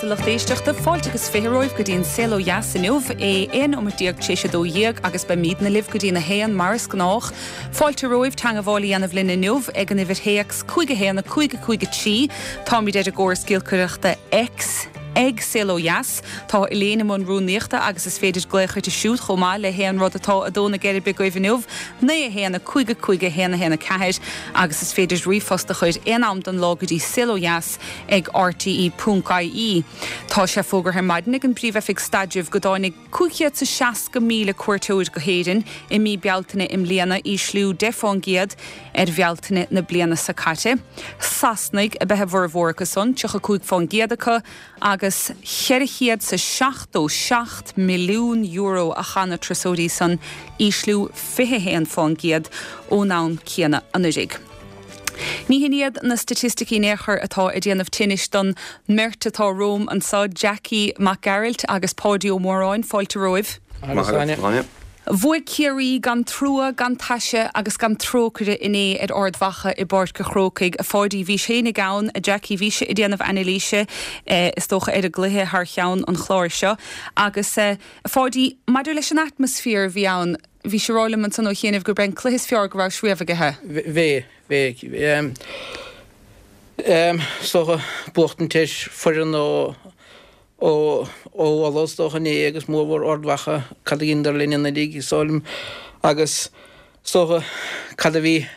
a lucht éisteachta. Fáilte agus 20 romhaibh go dtí an Saol Ó Dheas inniu, é 11 nóimeat tar éis 12 agus beimidne libh go dtí'n 1 mar is gnách. Fáilte romhaibh teangabháil a dhéanamh linn inniu ag an uimhir théacs 5 1 5 5 3. Táimid ar an gcóras giolcaireachta X ag Saol Ó Dheas. Tá Elaine i mbun rúnaíochta agus is féidir glaoch uirthi siúd chomh maith le haon rud atá ag dó na geirbe agaibh inniu, 9 1 5 5 1 1 4, agus is féidir ríomhphost a chur aon am den lá go dtí saolodheas ag rte.ie. Tá sé fógartha ar maidin ag an bPríomh-Oifig Staidrimh go dtáinig 560,000 cuairteoir go hÉirinn i mí Bealtaine i mbliana, ísliú 10 fán gcéad ar Bhealtaine na bliana seo caite. Sasanaigh ab ea a bhformhór acu san, 35 fán gcéad acu, agus €477 milliún a chaith na turasóirí san, ísliú 21 fán gcéad ón am céanna anuraidh. Ní hin iad na staitisticí in aon chor atá ag déanamh tinnis don mbeirt atá romham anseo, Jackie Mac Gearailt agus Páidí Ó Móráin. Fáilte romhaibh. Maith agat, Áine. Bhuaigh Ciarraí gan trua, gan taise agus gan trócaire inné ar Ard Mhacha i bPáirc a' Chrócaigh. A Pháidí, bhís fhéinig ann, a Jackie, bhís ag déanamh anailíse, is dócha, ar an gcluiche thar cheann an chláir seo. Agus, a Pháidí, maidir leis an atmaisféar a bhí ann, Bhís ag rá liom ansan ó chianaibh gurb é an cluiche is fearr go rabhais riamh aige. Bhí, bhí. Is dócha, buachtaint ar foireann ó, ó, ó Uladh is dócha inné agus mórmhór Ard Mhacha, cad a dheineadar linn anuraidh, is dóigh liom, agus is dócha cad a bhí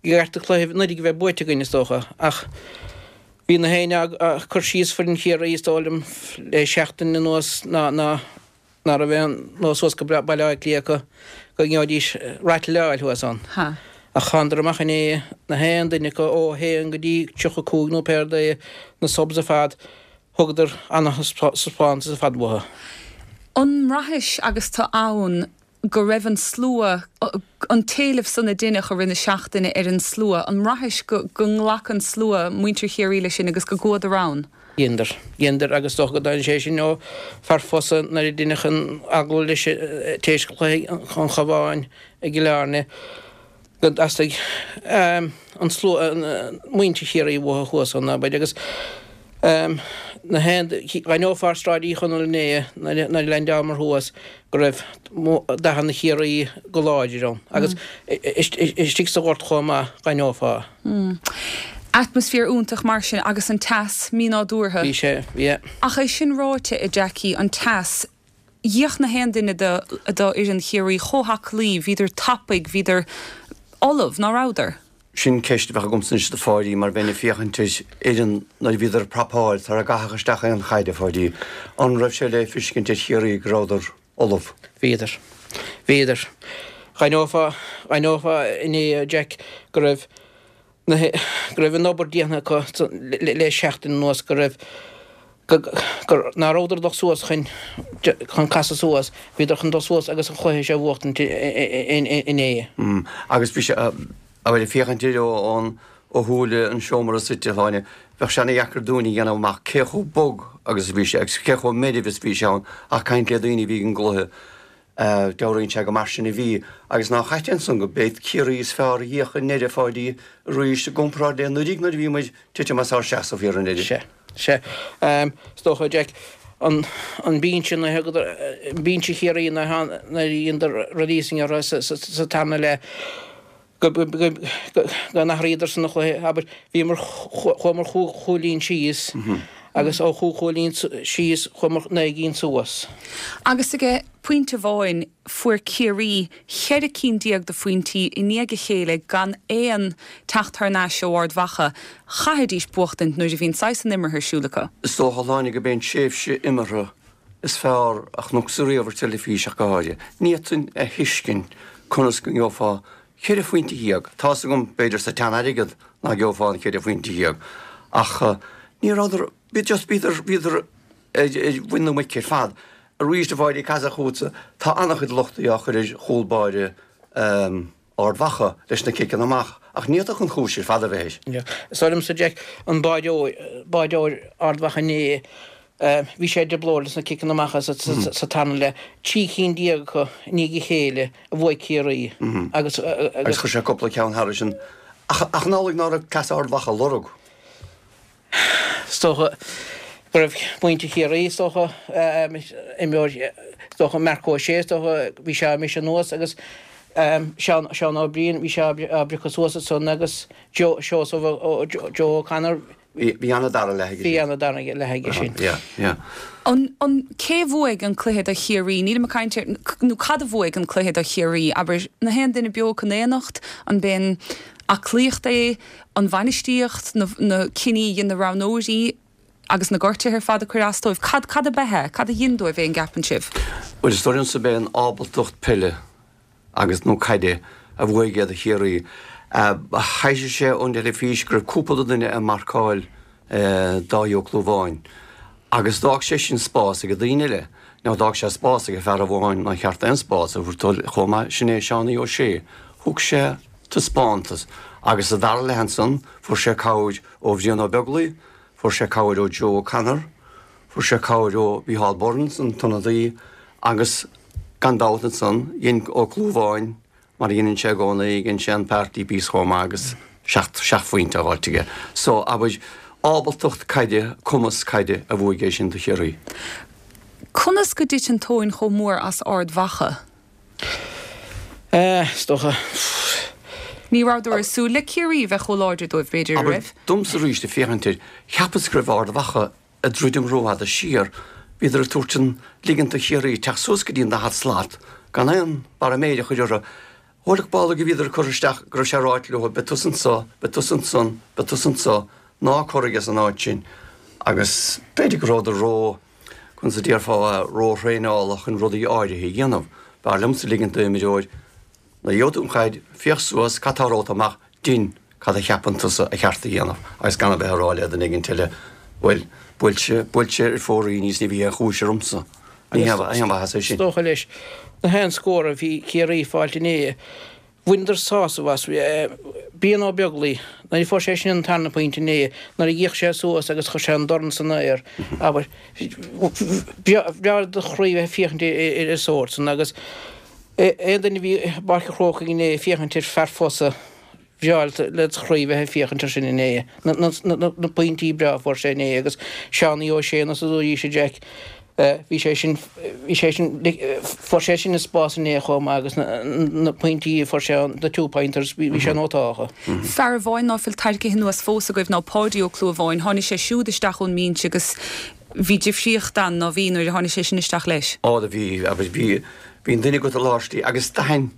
i gceart an cluiche anuraidh a bheith buaite againn is dócha ach bhí na héinne ag cur síos foireann Chiarraí is dóigh liom le seachtain anuas ná, ná, ná raibh aon nós suas go Baile Átha Cliath acu go ngeobhaidís rattle a fháil thuas ann. Ach thánadar amach inné, na haon duine acu ó 1 go dtí 35 nó péard é, na subs ar fad, thugadar ana-thaispeántas ar fad uathu. An mbraithis agus tu ann go raibh an slua, an t-éileamh san a deineadh i rith na seachtaine ar an slua, an mbraithis go nglac an slua, muintir Chiarraí leis sin agus go gcuadar ann? Dheineadar. Dheineadar agus is dócha go dtáinig sé sin ó fear Fosa nuair a deineadh an agallamh leis tar éis chluiche an Chabháin i gCill Airne go dteastaigh an slua, muintir Chiarraí uathu thuas ann, abair, agus na haon, d'aithneofá ar Sráid Uí Chonaill inné nuair a leaindeálamar thuas go raibh dathanna Chiarraí go láidir ann agus istigh sa ghort chomh maith d'aithneofá. Atmaisféar iontach mar sin agus an teas mínádúrtha. Bhí sé, yeah. Ach é sin ráite, a Jackie, an teas, d'fhéach na haon duine do fhoireann Chiarraí chomh haclaí, bhíodar tapaidh, bhíodar ullamh, ná rabhadar? Sin ceist a bheadh agamsa anois do Pháidí mar bheinn ag féachaint ar fhoireann nuair a bhíodar ag prapáil sara gcaitheadh isteach aon chaid, a Pháidí. An raibh sé le feiscint ar Chiarraí go rabhadar ullamh? Bhíodar. Bhíodar. D'aithneofá, d'aithneofá inné, a Jack, go raibh na, go raibh an obair déanta acu le seachtain anuas, go raibh, go, gur, ná rabhadar ag dul suas chun, chun casadh suas, bhíodar chun dul suas agus an chluiche seo a bhuachtaint inné. Agus bhí sé, Abair, ag féachaint air ó ó shúile an seomra suite, a Shláine, bheadh sé ana-dheacair dúinn a dhéanamh amach cé chomh bog agus a bhí sé agus cé chomh meirbh is a bhí sé ann ach caint le daoine a bhí ag an gcluiche, dealraíonn sé go mar sin a bhí. Agus nách ait é ansan go b'é Ciarraí is fearr a d'fhéach i ndeireadh, a Pháidí, arís i gcomparáid le anuraidh nuair a bhí muid titim as ár seasamh thiar i ndeireadh. Sea. Sea. Is dócha, Jack, an an binse nuair a thugadar, binse Chiarraí nuair a dheineadar releasing orthu sa tarna leath, go go n-athraíodar san an chluiche, abair, bhíomar, chuamar chúig chúilín síos agus ó chúig chúilín síos chuamar 9 gcinn suas. Agus ag pointe amháin fuair Ciarraí 14 cinn de phointí i ndiaidh a chéile gan aon teacht thar n-ais ó Ard Mhacha. Chaithfidís buachtaint nuair a bhí an saghas san imeartha ar siúl acu. Is dócha, a Shláine, gurb é an tréimhse imeartha is fearr a chonacsa riamh ar teilifís ach go háirithe. Ní fhéadfainn a thuiscint conas go ngeofá cheithre phointe dhéag, tá's agam, b'fhéidir sa tsean-airgead ná geofá an cheithre phointe dhéag, ach ní rabhadar, bhí just, bhíodar, bhíodar ar mhuin na muice ar fad. Arís, a Pháidí, ag casadh chugatsa, tá an-chuid lochta á chur ar chúl báire Ard Mhacha leis na ciceanna amach, ach ní fhéadfadh an chúis ar fad a bheith air. Is dóigh liomsa, Jack, an báideoir, báideoir Ard Mhacha inné, bhí sé i dtrioblóid leis na ciceanna amach sa tarna leath. 13 cinn acu i ndiaidh a chéile a bhuaigh Ciarraí agus. Agus chuir sé cúpla ceann thairis sin. Ach an amhlaidh ná raibh cleas Ard Mhacha á lorg? Is dócha. Go raibh muintir Chiarraí, is dócha, imreoir, is dócha, Marc Ó Sé, is dócha, bhí sé á mbriseadh anuas agus Seán, Seán Ó Briain, bhí sé á bpriocadh suas ansan agus Joe, Seosamh Ó, Joe O'Connor, Bhí ana-dara leath aige sin. Bhí ana-dara leath aige sin. Yeah, yeah. An, an, cé a bhuaigh an cluiche do Chiarraí? Nílim ag caint ar, nó cad a bhuaigh an cluiche do Chiarraí? Abair, na haon duine beo acu in éineacht, an b'in aclaíocht é, an bhainistíocht, na, na cinní a dhein na roghnóirí agus na gortuithe ar fad a cuireadh as dóibh? Cad, cad ab ea é? Cad a dhein dóibh é, an gceapann sibh? Bhuel, is dóigh liomsa b'é an ábaltacht peile agus, nó caide a bhuaigh é do Chiarraí. Thaibhsigh sé ón dteilifís go raibh cúpla duine ag marcáil Dáithí Ó Clúmháin agus d'fhág sé sin spás ag daoine eile. Now d'fhág sé spás ag fear amháin nár cheart aon spás a thabhairt dó chomh maith, sin é Seánie Ó Sé. Thug sé taispeántas agus sa dara leath ansan fuair sé cabhair ó Bhrian Ó Beaglaoi, fuair sé cabhair ó Joe O'Connor, fuair sé cabhair ó Mhícheál Burns, an t-ionadaí, agus gan dabht ansan dhein Ó Clúmháin mar a dheineann sé i gcónaí, dhein sé an party piece chomh maith agus seacht phointe á fháilt aige. So, abair, ábaltacht caide, cumas caide a bhuaigh é sin do Chiarraí. Conas go dtiteann tóin chomh mór as Ard Mhacha? Eh, is dócha. Ní rabhadar ag súil le Ciarraí a bheith chomh láidir dóibh, b'fhéidir, an Abair, raibh? domsa arís ag féachaint air, cheapas go raibh Ard Mhacha ag druidim rófhada siar, bhíodar ag tabhairt an, ligint do Chiarraí teacht suas go dtí an 40 slat gan aon barra méire a chur orthu. Eolach ball go bhíodar ag cur isteach go raibh sé ráite leo, beidh tusa anso, beidh tusa ansan, beidh tusa anso, ná corraigh as an áit sin. Agus b'fhéidir go rabhadar ró, conas a déarfá, ró-thraenáilte chun rudaí áirithe a dhéanamh. B'fhearr liomsa ligint d'imreoir Nuair a gheobhaidh tú an chaid, féach suas, cad tá romhat amach, dein cad a cheapann tusa a cheart a dhéanamh agus gan a bheith ag rá le duine éigint eile, bhuel, buailte, buailte ar fóraoil níos ní bhí aon chúis ormsa. Ní haon mhaitheas é sin. Is dócha leis, na haon scór a bhí Ciarraí fáilt inné, bhaineadar sásamh as. Brian Ó Beaglaoi, nuair a fuair sé sin an tarna pointe inné, nuair a d'fhéach sé suas agus chuir sé an dorn san aer, abair, bhreá le do chroí bheith ag féachaint ar an sórt san agus, Aon duine a bhí i bPáirc an Chrócaigh inné ag féachaint ar fear Fosa, bhreá le do chroí bheith ag féachaint ar sin inné. Na pointí breá a fuair sé inné agus Seánie Ó Sé nós a dúraís a Jack, bhí sé sin, bhí sé sin, fuair sé sin an spás inné chomh maith agus na pointí a fuair sé, the two pointers, bhí sé nótáltha. Fear amháin ná fuil tarraicthe anuas fós agaibh ná Páidí Ó Clúmháin. Tháinig sé siúd isteach ón mbinse agus Bhí difríocht ann, ná bhí, nuair a tháinig sé sin isteach leis? Á, do bhí, agus bhí, bhí an duine agat i lár slí agus d'aithin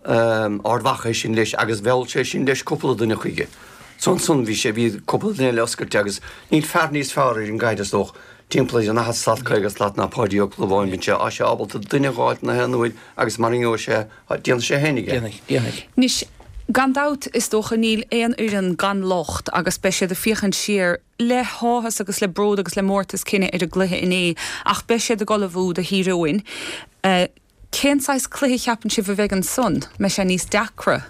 Ard Mhacha é sin leis agus mheall sé sin leis cúpla duine chuige. So ansan bhí sé, bhí cúpla duine eile oscailte agus níl fear níos fearr ar an gcaid is dócha, timpeall ar an 40 slat, 50 slat ná Páidí Ó Clúmháin, bíonn sé, tá sé ábalta duine a dh'fháilt na haon uair agus mara ngeobhaidh sé, déanfaidh sé fhéinig é. Déanfaidh, déanfaidh. Anois, gan dabht, is dócha, níl aon fhoireann gan locht agus beidh siad ag féachaint siar, le háthas agus le bród agus le mórtas cine ar an gcluiche inné ach beidh siad ag ullmhú do Thír Eoghain. Cén saghas cluiche a cheapann sibh a bheidh ansan? Mbeidh sé níos deacra?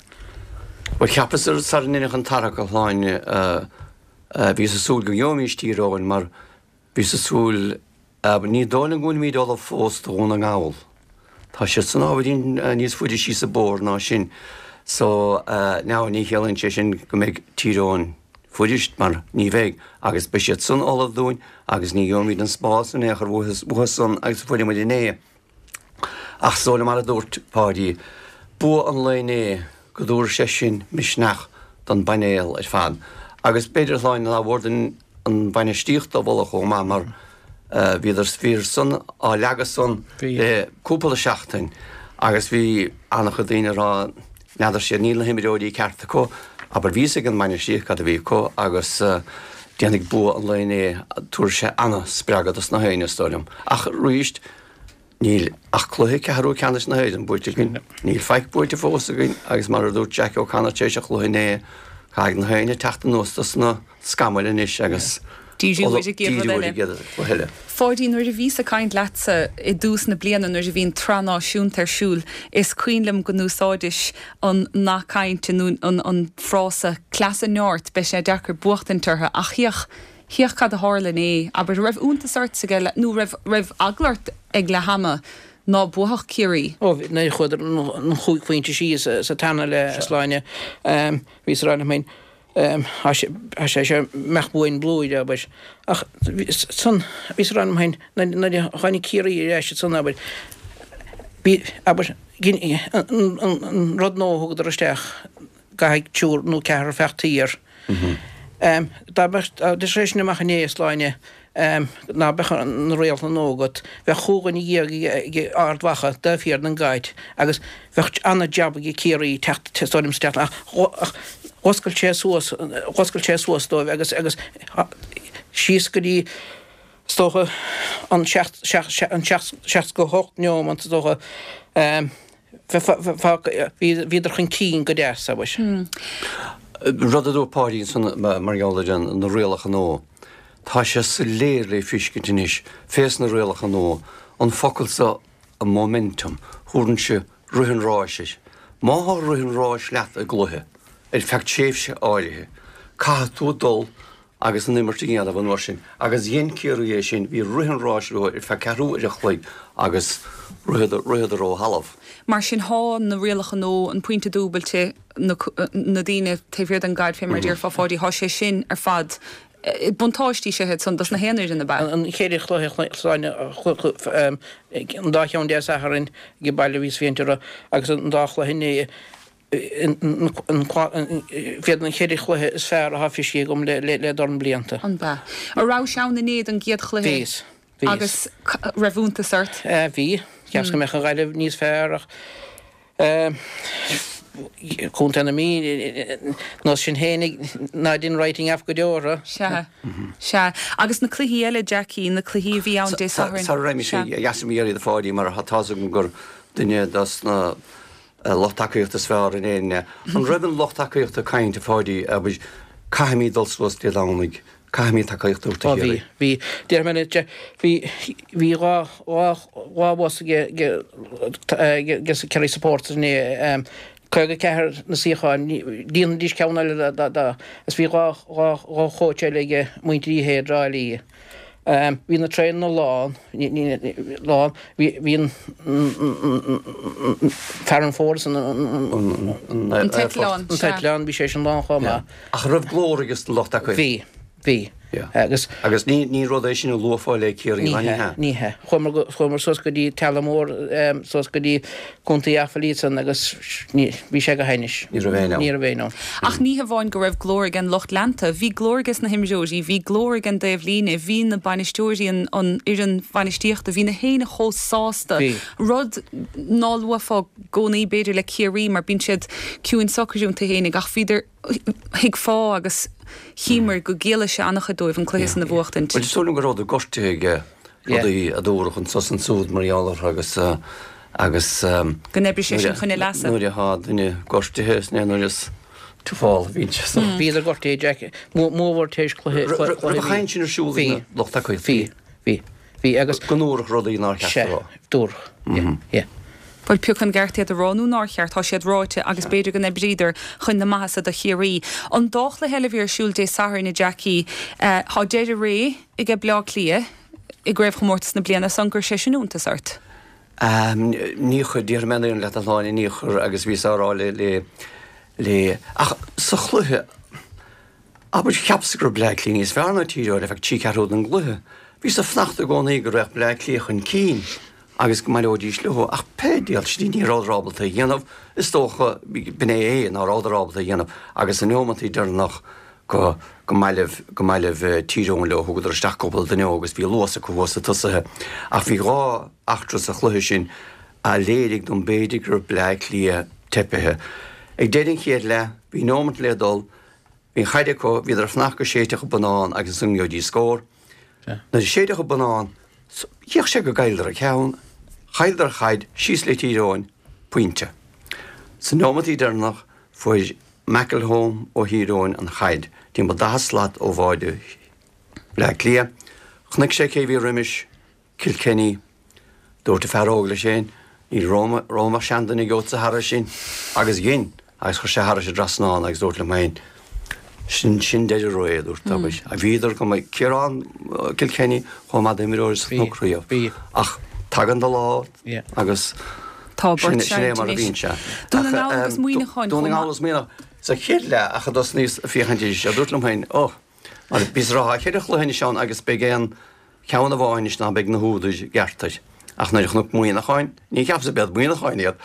Bhuel, cheapas sara ndeineadh an tarrac, a Shláine, bhíos ag súil go ngeobhaimis Tír Eoghain mar bhíos ag súil Ní dóigh liom go bhfuilimid ullamh fós do Dhún na nGall. Tá siad san ábhairín níos faide síos an bóthar ná sin. So, now, ní chiallaíonn sé sin go mbeidh Tír Eoghain fuirist, mar ní bheidh, agus beidh siad san ullamh dúinn agus ní gheobhaimid an spás in aon chor uathu san agus a fuair muid inné. Ach is dóigh liom, mar a dúirt Páidí, bua an lae inné, go dtabharfaidh sé sin misneach don bpainéal ar fad. Agus b'fhéidir, a Shláine, nár mhór dúinn an bhainistíocht a mholadh chomh maith mar bhíodar, bhíodar san á leagadh san le cúpla seachtain agus bhí an-chuid daoine ag rá n'fheadar siad, níl na himreoirí ceart acu, abair bhí fhios ag an mbainistíocht cad a bhí acu agus déanfaidh bua an lae inné, tabharfaidh sé an-spreagadh dos na héinne is dóigh liom. Ach arís, Níl ach cluiche ceathrú ceannais na hÉireann buaite againn. Níl faic buaite fós againn agus mar a dúirt Jack O'Connor tar éis an chluiche inné, caithfidh na héinne teacht anuas dos na scamaill anois agus Díriú ar an gcéad rud eile. cluiche eile. Pháidí, nuair a bhíos ag caint leatsa i dtús na bliana nuair a bhí an tsraith náisiúnta ar siúl, is cuimhin liom go n-úsáidis an nath cainte nó an frása 'cleas an nirt, beidh sé deacair buachtaint orthu' ach féach Féach cad a tharla inné. Abair, raibh iontas ort ag leath, nó raibh, raibh eagla ort ag leath ama ná buafadh Ciarraí? Ó, bhí, nuair a chuadar an chúig phointe síos sa tarna leath, a Shláine, bhíos ag rá liom féin. Tá sé seo mbeadh buain blúire, abair. Ach san, bhíos ag rá liom féin, nuair a tháinig Ciarraí ar ais ansan, abair, bhí, abair, an rud nua a thugadar isteach, caithfidh triúr nó ceathrar feacht thiar. Dá mbeadh, dá dtiocfadh sé sin amach inné, a Shláine, ná beadh na rialacha nua agat, bheadh chúig dhuine dhéag ag Ard Mhacha taobh thiar den gcaid agus bheadh ana-jab ag Ciarraí teacht is dóigh liom isteach ach dh'oscail sé suas, dh'oscail sé suas dóibh agus, agus síos go dtí is dócha an 68 neomant is dócha. Bhíodar chun cinn go deas, abair. Rud a dúirt Páidí ansan mar gheall ar na rialacha nua, tá sé soiléir le feiscint anois fés na rialacha nua, an focal so momentum, thabharfainnse rith an ráis air. Má thá rith an ráis leat i gcluiche, ar feadh tréimhse áirithe, caithfidh tú dul agus an imirt a dhéanamh an uair sin agus dhein Ciarraí é sin, bhí rith an ráis leo ar feadh ceathrú uair a chloig agus ritheadar, ritheadar ó thalamh. Mar sin thá na rialacha nua, an pointe dúbailte, na, na daoine taobh thiar den gcaid fé mar a déarfá Pháidí, thá sé sin ar fad, buntáistí is ea iad san dos na haon fhoireann ab ea? An cheithre chluiche Shláine, an dá cheann Dé Sathairn ag baile a bhíos féachaint orthu agus an dá chluiche inné, B'iad na ceithre chluiche is fearr atá feiscithe agam le dorn blianta. An b'ea? An rabhais ann inné don gcéad chluiche? Bhíos. Bhíos. Agus raibh iontas ort? Bhí. Cheapas go mbeadh an Ghaillimh níos fearr ach Contae na Mí, nós sin féinig, ná dein writing off go deo orthu. Sea. Sea. Agus na cluichí eile, Jackie, na cluichí a bhí ann Dé Sathairn? Sara raghaimid, dheas liom iarraidh ar Pháidí mar tá's agam gur duine dos na lucht tacaíochta is fearr in Éirinn é. An raibh an lucht tacaíochta ag caint, a Pháidí, abair, caithfimid dul suas Dé Domhnaigh, caithfimid tacaíocht a thabhairt do Ó bhí, Chiarraí? bhí. Déarfaidh mé leat, bhí, bhí 2, 2, 2 bhus ag, ag, ag Kerry Supporters inné, 54 na suíocháin, líonfaidís ceann eile dá, dá, dá, agus bhí 2, 2, 2 chóits eile ag muintir Uí Shé i dTrá Lí. Bhí na traenanna lán, lán, bhí an fear an Ford san an t-eitleán, an t-eitleán, bhí sé sin lán chomh maith. Ach an raibh glór ag an lucht tacaíochta? Bhí, bhí. Agus. Agus ní, ní rud é sin a luafá le Ciarraí, Ní hea, ní hea. Chuamar go, chuamar suas go dtí Teallach Mór, suas go dtí Contae Offaly ansan agus ní, bhí sé go hainnis. Ní raibh éinne ann. Ní raibh éinne ann. Ach ní hamháin go raibh glór ag an lucht leanta, bhí glór ages na himreoirí, bhí glór ag an dtaobh líne, bhí na bainisteoirí, an fhoireann bhainistíochta, bhí na héinne chomh sásta, Bhí. rud ná luafá i gcónaí b'fhéidir le Ciarraí mar bíonn siad ciúin socair iontu fhéinig ach bhíodar, thuigfeá agus chíomair go gciallaigh sé an-chuid dóibh an cluiche san a bhuachtaint. Bhuel, is dóigh liom go rabhadar gortaithe ag rudaí a dúradh anso is ansúd mar gheall orthu agus agus Go n-oibrigh sé sin chun a leasa. Nuair atá duine gortaithe is nuair is tuafál a bhíonn sé so. Bhíodar gortaithe Jack, mórmhór tar éis cluiche cluiche Raibh an chaint sin ar siúl ag na lucht tacaíochta? Bhí, bhí. Bhí agus. Go ndúradh rudaí nár cheart a rá. Sea, dúradh. Yeah, yeah. Bhuel, pé acu an gceart iad a rá nó nár cheart, tá siad ráite agus b'fhéidir go n-oibríodar chun na maitheasa do Chiarraí. An dá chluiche eile a bhí ar siúl Dé Sathairn, a Jackie, tá deireadh ré aige Bleá Cliath i gcraobhchomórtas na bliana so, an gcuir sé sin iontas ort? Níor chuir, déarfaidh mé an fhírinne leat a Shláine, níor chuir agus bhíos á rá le, le, le, ach sa chluiche, Abair, cheapas go raibh Bleá Cliath níos fearr ná Tír Eoghain ar feadh trí ceathrú den gcluiche. Bhíos ag fanacht i gcónaí go raghadh Bleá Cliath chun cinn agus go mbaileoidís leo, ach pé diabhal sin ní rabhadar ábalta a dhéanamh, is dócha, b'in é é, ná rabhadar ábalta a dhéanamh agus sna neomantaí deireanach go go mbailibh go mbailibh Tír Eoghain leo, thugadar isteach cúpla duine óg agus bhí luas acu thuas sna tosaithe. Ach bhí dhá eachtra sa chluiche sin a léirigh dom b'fhéidir go raibh Bleá Cliath teipithe. Ag deireadh an chéad leath, bhí neomant le dul, Bhí an chaid acu, bhíodar ag fanacht go séidfeadh an bonnán agus ansan go ngeobhaidís scór. Nuair a séideadh an bonnán, d'fhéach sé go gcailleadar an ceann, chailleadar an chaid, síos le Tír Eoghain, pointe. Sa neomantaí deireanach, fuair McElholm ó Thír Eoghain an chaid, timpeall 40 slat ó bháide Bhleá Cliath. Chonaic sé cé bhí roimis, Kilkenny. Dúirt an fear óg leis féin, Ní romham ach seanduine gheobhadsa thairis sin. Agus dhein, agus chuir sé thairis an dtrasnán agus dúrt liom féin, Sin, sin deireadh ré, a dúrt, abair. Bhíodar go maith. Ciarán Kilkenny chomh maith d'imreoir is a chonac riamh. Ach tagann do lá agus Tá sin, sin é mar a bhíonn sé. Dún na nGall agus Muineachán Dún na nGall agus Muineachán. Sa chéad leath ach a dtosnaíos ag féachaint arís, a dúrt liom féin, oh, mar bhíos ag rá tá cheithre chluiche anois ann agus beidh aon cheann amháin anois ná beidh na húdair i gceart air. Ach nuair a chonac Muineachán, ní cheapas gurb iad Muineachán iad,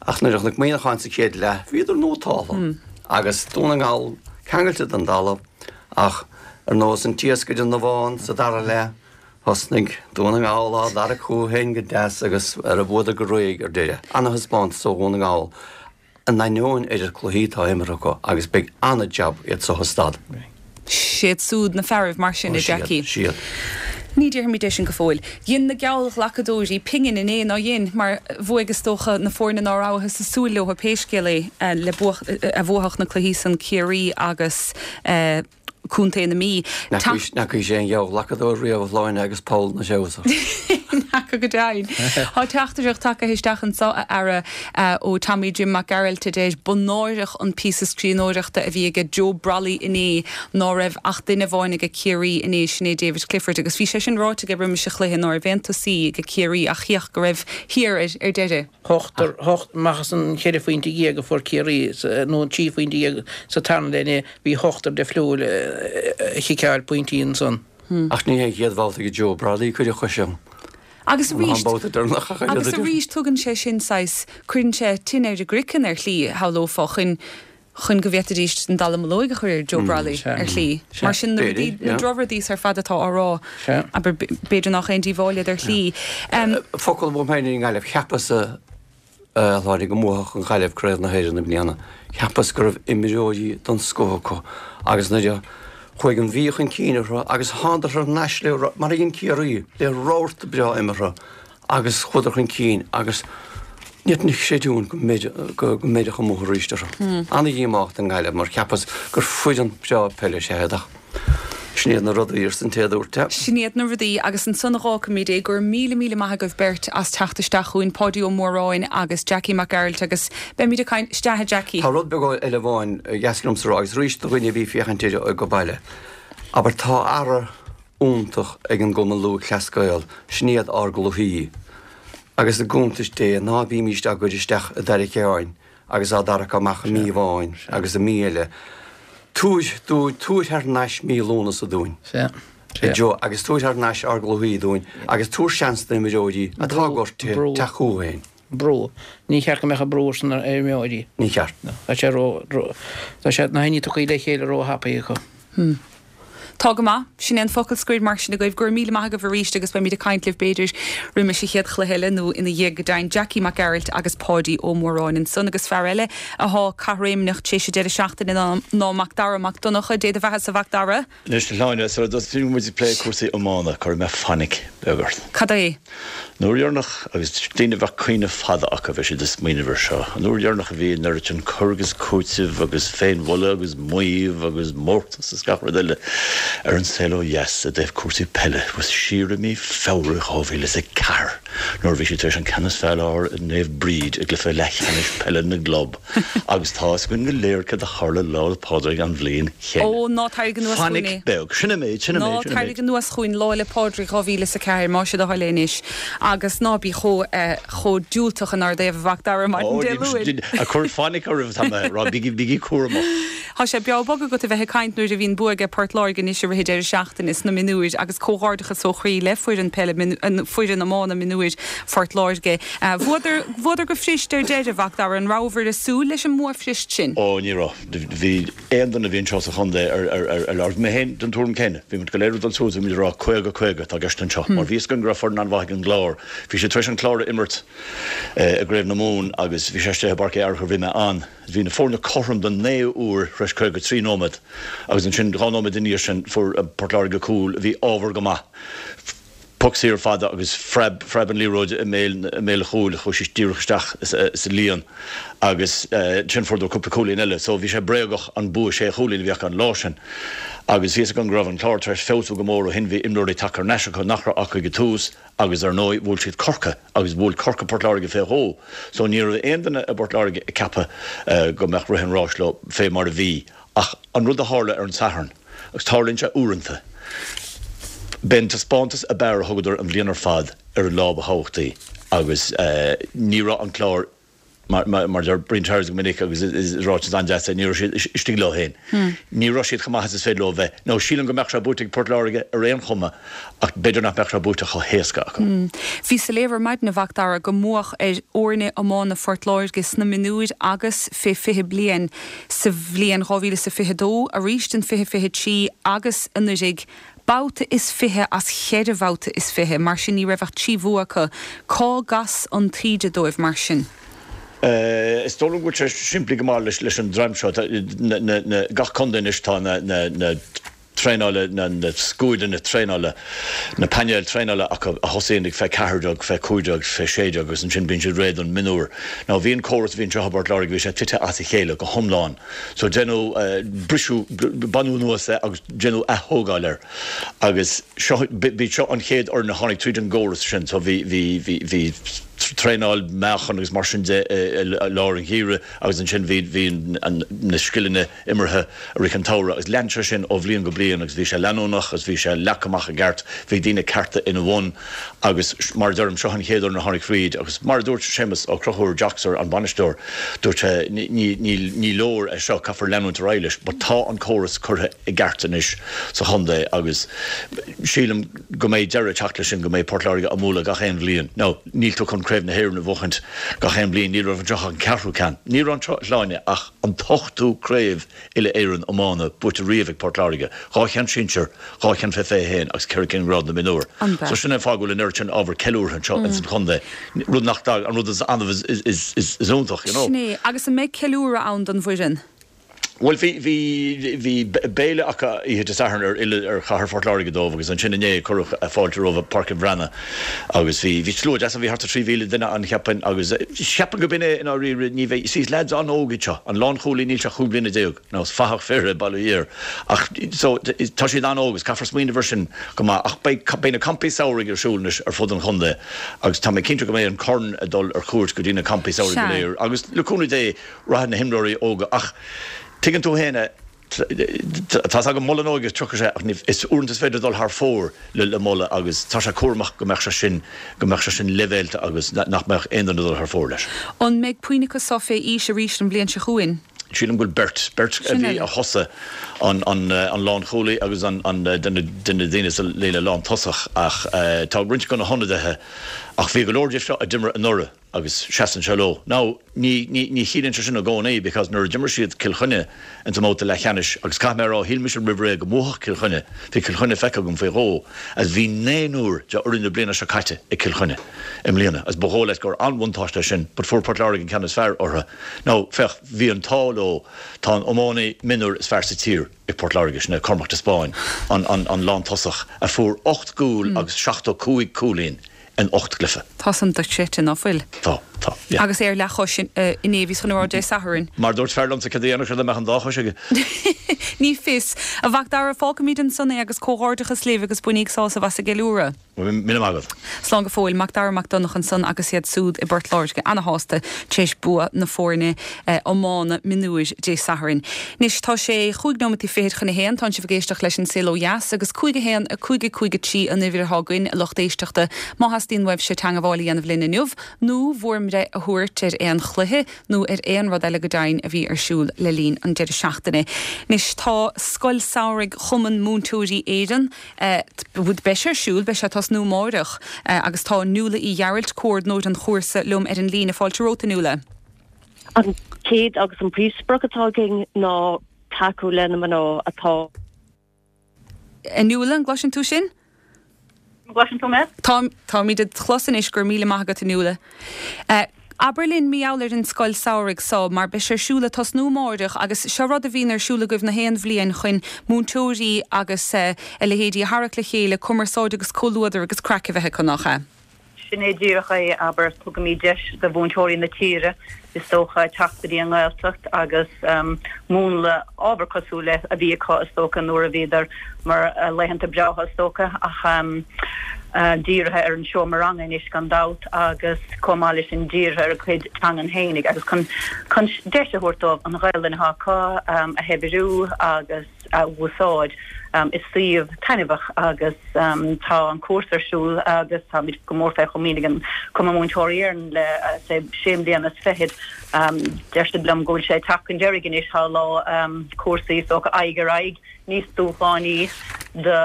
ach nuair a chonac Muineachán sa chéad leath, bhíodar nótáltha agus Dún na nGall ceangailte den dtalamh ach ar nós an t-iasc ar an ndamhán sa dara leath, thosnaigh Dún na nGall á dtarrac chucu féin go deas agus ar a bhuadar go réidh ar deireadh. Ana-thaispeántas ó Dhún na nGall. In ainneoin oiread cluichí atá imeartha acu agus beidh an-jab iad so a stad. Siad súd na fearaibh mar sin, a Jackie. Siad. Ní déarfaimid é sin go fóill. Dhein na geallghlacadóirí pingin inné, ná dhein? Mar bhuaigh is dócha na foirne ná rabhthas ag súil leo pé scéal é le a bhuafadh na cluichí san Ciarraí agus Contae na Mí. N'fheacaís aon gheallghlacadóir riamh a Shláine agus poll 'na threabhsar. N'fheaca go deimhin. Tá teachtaireacht tagtha isteach anso, a fheara, ó Tommy Jim Mac Gearailt a deir, Ba náireach an píosa scríbhneoireachta a bhí aige Joe Brolly inné ná raibh ach duine amháin aige Ciarraí inné, sin é David Clifford. Agus bhí sé sin ráite aige roimis an chluiche ná raibh aon tosaí aige Ciarraí ach chíodh go raibh thiar air ar deireadh. Ochtar, amach as an cheithre phointe dhéag a fuair Ciarraí, nó an trí phointe dhéag sa tarna leath inné, bhí ochtar difriúil ag ciceáil pointí ansan. Ach ní hé an chéad bhabhta ag Joe Brolly cuireadh chois ann. Agus arís, agus arís tugann sé sin saghas, cuireann sé tine ar a gcraiceann ar shlí, shamhlófá, chun, chun go bhféadfaidís an dallamullóig a chur ar Joe Brolly ar shlí. Mar sin na rudaí, na drochrudaí ar fad atá á rá, abair, b'fhéidir nach aon díobháil iad ar shlí. Focal uaim féin ar an nGaillimh, cheapas a Shláine go mbuafadh an Ghaillimh Craobh na hÉireann i mbliana. Cheapas go raibh imreoirí den scoth acu agus nuair a chuaigh an Mhí chun cinn orthu agus thánadar thar n-ais le, mar a dhein Ciarraí, le rabharta breá imeartha agus chuadar chun cinn agus ní fhéadfainn a chreidiúint go mbeir, go mbeireadh amuigh arís orthu. Ana-dhíomách don nGaillimh mar cheapas gur foireann breá peile is ea iad ach sin iad na rudaí, arsa an té a dúirt é. Sin iad na rudaí agus ansan a dh'fhágfaimid é. Go raibh míle míle maith agaibh beirt as teacht isteach chugainn, Páidí Ó Móráin agus Jackie Mac Gearailt agus beimid ag caint, isteach a Jackie. Tá rud beag eile amháin ba dheas liomsa a rá agus arís do dhaoine a bhí ag féachaint air ag baile. Abair tá earra iontach ag an gCumann Lúthchleas Gael, sin iad ár gcluichí. Agus i gcuntais Dé ná bímíst á gcur isteach i dtarraiceáin agus á dtarrac amach i mí amháin agus i mí eile. Tabhair dúinn, tabhair thar n-ais mí Lúnasa dúinn, a Joe, agus tabhair thar n-ais ár gcluichí dúinn agus tabhair seans d'imreoirí atá gortaithe teacht chucu féin. Brú. Ní cheart go mbeadh an brú san ar imreoirí. Ní cheart. Tá sé ró, ró, tá sé, na haoinní tugtha le chéile ró-thapaidh acu. Hmm. Tá go maith. Sin é an focal scoir mar sin agaibh. Go raibh míle maith agaibh arís agus beimid ag caint libh b'fhéidir roimis an chéad chluiche eile nó ina dhiaidh go deimhin. Jackie Mac Gearailt agus Páidí Ó Móráin ansan agus fear eile athá caithréimneach tar éis an deireadh seachtaine ná ná Mac Dara Mac Donncha. Dé do bheatha-sa a Mhac Dara. Anois, a Shláine, sula dtosaíonn muid ag plé cúrsaí iomána, cuirfidh mé fainic beag ort. Cad é? An uair dheireanach, agus daoine a bheadh cuimhne fada acu, bheadh siad ag smaoineamh air seo, an uair dheireanach a bhí an oiread sin cur agus cúiteamh agus féinmholadh agus maíomh agus mórtas is gach rud eile ar an saol ó dheas i dtaobh cúrsaí peile, was siar i mí Feabhra 2004 nuair a bhí siad tar éis an ceann is fearr a fháil ar Naomh Bríd i gcluiche leathcheannais peile na gclub. Agus tá fhios againn go léir céard a tharla Lá 'le Pádraig an bhliain chéanna. Ó, ná tarraig anuas chugainn é. Fainic beag. Sin an méid, sin an méid, sin an méid. Ná tarraig anuas chugainn Lá 'le Pádraig 2004, más é do thoil é anois. Agus ná bí chomh, eh, chomh diúltach inár dtaobh, a Mhac Dara, maidin Dé Luain. Ó, ag cur fainic oraibh atá mé, rá, bígí, bígí cúramach. Tá sé breá bog agat a bheith ag caint nuair a bhíonn bua aige Port Láirge anois i rith an deireadh seachtaine sna mionúir agus comhghairdeachas ó chroí le foireann peile, foireann iomána mionúir Phort Láirge. Bhuadar, bhuadar go fuirist ar deireadh, a Mhac Dara, an rabhabhair ag súil leis an mbua fuirist sin? Ó, ní raibh. Bhí aon duine a bhí anseo sa chontae ar, ar, ar, ar labhair mé féin den tuairim céanna. Bhí muid go léir ag dul suas, bhí muid ag rá 50, 50 atá i gceist anseo mar bhí fhios againn go raibh foireann an-mhaith ag an gClár. Bhí siad tar éis an Clár a imirt i gCraobh na Mumhan agus bhí sé istigh i bPáirc Uí Fhearchair, bhí mé ann. Bhí na foirne cothrom don naoú huair tar éis 53 nóiméad agus ansin dhá nóiméad ina dhiaidh sin fuair Port Láirge cúl a bhí ábhar go maith. Poc saor fada agus phreab, phreab an liathróid i mbéal, i mbéal an chúil, chuaigh sí díreach isteach sa líon agus ansin fuaireadar cúpla cúilín eile so bhí sé bréagach an bua sé chúilín a bhí acu an lá sin. Agus bhí fhios againn go raibh an Clár tar éis feabhsú go mór ó shin, bhí imreoirí tagtha thar n-ais acu nach raibh acu ag an tús agus ar ndóigh bhuail siad Corcaigh agus bhuail Corcaigh Port Láirge fé dhó so ní raibh aon duine i bPort Láirge ag ceapadh go mbeadh rith an ráis leo fé mar a bhí ach an rud a tharla ar an Satharn agus tarlaíonn sé uaireanta b'é an taispeántas ab fhearr a thugadar an bhliain ar fad ar an lá ba thábhachtaí agus ní raibh an Clár. Mar a deir Brian Charles go minic agus is ráiteas an-deas é, ní raibh siad istigh leo féin. Ní raibh siad chomh maith is is féidir leo a bheith. Now sílim go mbeadh sé buaite ag Port Láirge ar aon chuma ach b'fhéidir nach mbeadh sé buaite chomh héasca acu. Bhí sa léamh ar maidin, a Mhac Dara, go mbuadh ar fhoirne iomána Phort Láirge sna mionúir agus fé 20 bliain sa bhliain 2022, arís in 2023 agus anuraidh, babhta is 20 as cheithre bhabhta is 20, mar sin ní raibh ach 3 bhua acu. Cá gcas an taoide dóibh mar sin? Is dóigh liom go bhfuil sé simplí go maith leis an dream seo. Gach contae anois tá na traenála, na scuaideanna traenála, na painéil traenála acu a thosaíonn ag fé 14, fé 15, fé 16 agus ansin bíonn siad réidh don mionúr. Now bhí an córas a bhí anseo i bPort Láirge, bhí sé tite as a chéile go hiomlán. So deineadh briseadh, baineadh anuas é agus deineadh ath-thógáil air. Agus seo, b'iad seo an chéad fhoireann a tháinig tríd an gcóras sin. So bhí, bhí, bhí, bhí traenáil meáchan agus mar sin de i lár an gheimhridh agus ansin bhí, bhí an, na scileanna imeartha i rith an tsamhraidh agus lean sé sin ó bhliain go bliain agus bhí sé leanúnach agus bhí sé leagtha amach i gceart, bhí daoine cearta ina bhun agus mar a deirim, seo an chéad fhoireann a tháinig thríd agus mar a dúirt Séamus Ó Conchúir, Joxer, an bainisteoir, dúirt sé ní, ní, ní leor é seo, caithfear leanúint ar aghaidh leis but tá an córas curtha i gceart anois sa chontae agus sílim go mbeidh deireadh ag teacht leis sin, go mbeidh Port Láirge á mbualadh gach aon bhliain. Now, níl tú chun Craobh na hÉireann a bhuachaint gach aon bhliain, ní raibh anseo ach an ceathrú ceann. Ní raibh anseo, a Shláine, ach an t-ochtú craobh uile-Éireann iomána buaite riamh ag Port Láirge, 2 cheann sinsir, 2 cheann fé 21 agus 4 cinn grád na mionúr. So sin é an fáth go bhfuil an oiread sin ábhar ceiliúrtha anseo ins an chontae, rud nach dtagann, an rud is annamh is iontach, you know. Sin é. Agus an mbeidh ceiliúradh ann don bhfoireann? Bhuel, bhí, bhí, bhí béile acu oíche Dé Sathairn ar fhilleadh ar chathair Phort Láirge dóibh agus ansin inné cuireadh fáilte rompu i bPáirc an Bhreathnaigh agus bhí, bhí slua deas ann, bhí thart ar 3,000 duine ann cheapfainn agus cheapfainn go b'in é i ndáiríre, ní bheidh, see is leaids an-óg iad seo, an lánchúlaí níl sé ach 15 bliana, now is fathach fir é bail ó Dhia air ach so tá siad an-óg agus caithfear smaoineamh ar sin go maith ach beidh, beidh na campaí samhraidh ar siúl anois ar fud an chontae agus tá mé cinnte go mbeidh an corn ag dul ar cuairt go dtí na campaí samhraidh go léir agus le cúnamh Dé Rachaidh na himreoirí óga ach tuigeann tú féin é, tá's agam moladh na hóige tiocfaidh sé ach ní, is uaireanta is féidir dul thar fóir le le moladh agus tá sé cúramach go mbeadh sé sin, go mbeadh sé sin leibhéalta agus nach mbeadh aon duine ag dul thar fóir leis. An mbeidh puinn acu seo fé aois arís an bhliain seo chugainn? Sílim go bhfuil beirt, beirt a bhí a thosaigh, an, an, an lánchúlaí agus an, an duine de na daoine sa líne lántosach ach tá roinnt de na hionadaithe ach bhí go leor díobh seo a d'imir anuraidh. agus seasann sé leo. Now, ní, ní, ní chiallaíonn sé sin i gcónaí because nuair a d'imir siad Cill Chainnigh ins an mbabhta leathcheannais, agus caithfidh mé a rá, shíl mise roimh ré go mbuafadh Cill Chainnigh, bhí Cill Chainnigh feicthe agam faoi dhó, agus bhí naonúr de fhoireann na bliana seo caite ag Cill Chainnigh i mbliana, agus ba dhóigh leat gur an-bhuntáiste é sin, but fuair Port Láirge an ceann is fearr orthu. Now, féach, bhí an t-ádh leo, tá an iománaí mionúir is fearr sa tír ag Port Láirge, sin é Cormac de Spáinn, an, an, an lántosach, a fuair 8 gcúl agus 75 cúilín in 8 gcluiche. Tá san dochreidte, ná fuil? Tá, tá, yeah. Agus é ar leathchois inné, bhíos chun a rá Dé Sathairn. Mar a dúirt fear liomsa, céard a dhéanfadh sé dá mbeadh an dá chois aige? Ní fios. A Mhac Dara, fágfaimid ansan é agus comhghairdeachas libh agus bainíg sásamh as an gceiliúradh. Míle maith agat. Slán go fóill. Mac Dara Mac Donncha ansan agus iad súd i bPort Láirge ana-shásta tar éis bua na foirne iomána mionúir Dé Sathairn. Anois tá sé chúig nóimeataí fichead chun a haon, tánn sibh ag éisteacht leis an Saol Ó Dheas agus 5 1 5 5 3 an uimhir atá againn, a lucht éisteachta, má theastaíonn uaibhse teangabháil a dhéanamh linn inniu nó bhur mbreith a thabhairt ar aon chluiche nó ar aon rud eile go deimhin a bhí ar siúl le linn an deireadh seachtaine. Anois tá Scoil Samhraidh Chumann Múinteoirí Éireann, beidh sé ar siúl, beidh sé ag tosnú amáireach agus tá Nuala Uí Ghearailt, comhordnóir an chúrsa, liom ar an líne. Fáilte romhat, a Nuala. An chéad agus an príomhsprioc atá againn ná tacú le na mná atá. A Nuala, an gcloiseann tú sinn? An gcloiseann tú mé? Tá, táimid id chlos anois, go raibh míle maith agat, a Nuala. Abair linn mar gheall ar an scoil samhraidh so, mar beidh sé ar siúl ag tosnú amáireach agus seo rud a bhíonn ar siúl agaibh na haon bhliain chun múinteoirí agus a leithéidí a tharrac le chéile, cumarsáid agus comhluadar agus craic a bheith acu, nach ea? Sin é díreach é, abair, tugaimid deis do mhúinteoirí na tíre, is dócha, teacht go dtí an nGaeltacht agus múnla ábhar cosúil le a bhí acu, is dócha, nuair a bhíodar mar laethanta breátha, is dócha, ach dírithe ar an seomra ranga anois gan dabht agus chomh maith leis sin dírithe ar a gcuid teangan fhéinig agus chun chun deis a thabhairt dóibh an Ghaelainn atá acu a shaibhriú agus a úsáid. Is suíomh taitneamhach agus tá an cúrsa ar siúl agus táimid go mór fé chomaoin ag an Cumann Múinteoirí Éireann le sé mbliana is fichead. Deir siad liom go bhfuil sé ag teacht chun deiridh anois, tá lá cúrsaí is dócha aghaidh ar aghaidh níos dúshlánaí do